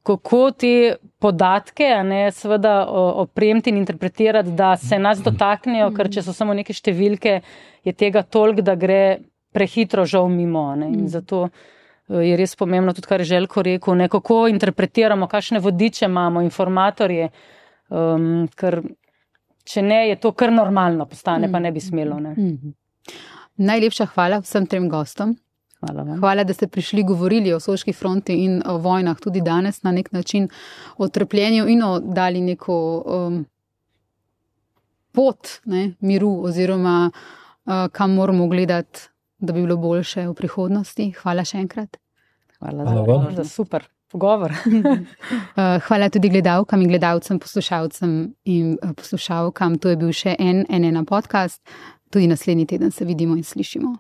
kako te podatke, ne, seveda opremiti in interpretirati, da se nas dotaknejo, ker če so samo neke številke, je tega toliko, da gre prehitro žal mimo. Ne. In zato je res pomembno tudi, kar je Željko rekel, ne, kako interpretiramo, kakšne vodiče imamo, informatorje, ker če ne, je to kar normalno postane, pa ne bi smelo. Ne. Najlepša hvala vsem trem gostom. Hvala, da ste prišli, govorili o Soški fronti in o vojnah tudi danes na nek način, o trpljenju in o dali neko pot, ne, miru oziroma kam moramo gledati, da bi bilo boljše v prihodnosti. Hvala še enkrat. Hvala za super pogovor. Hvala tudi gledalkam in gledalcem, poslušalcem in poslušalkam. To je bil še en podcast. Tudi naslednji teden se vidimo in slišimo.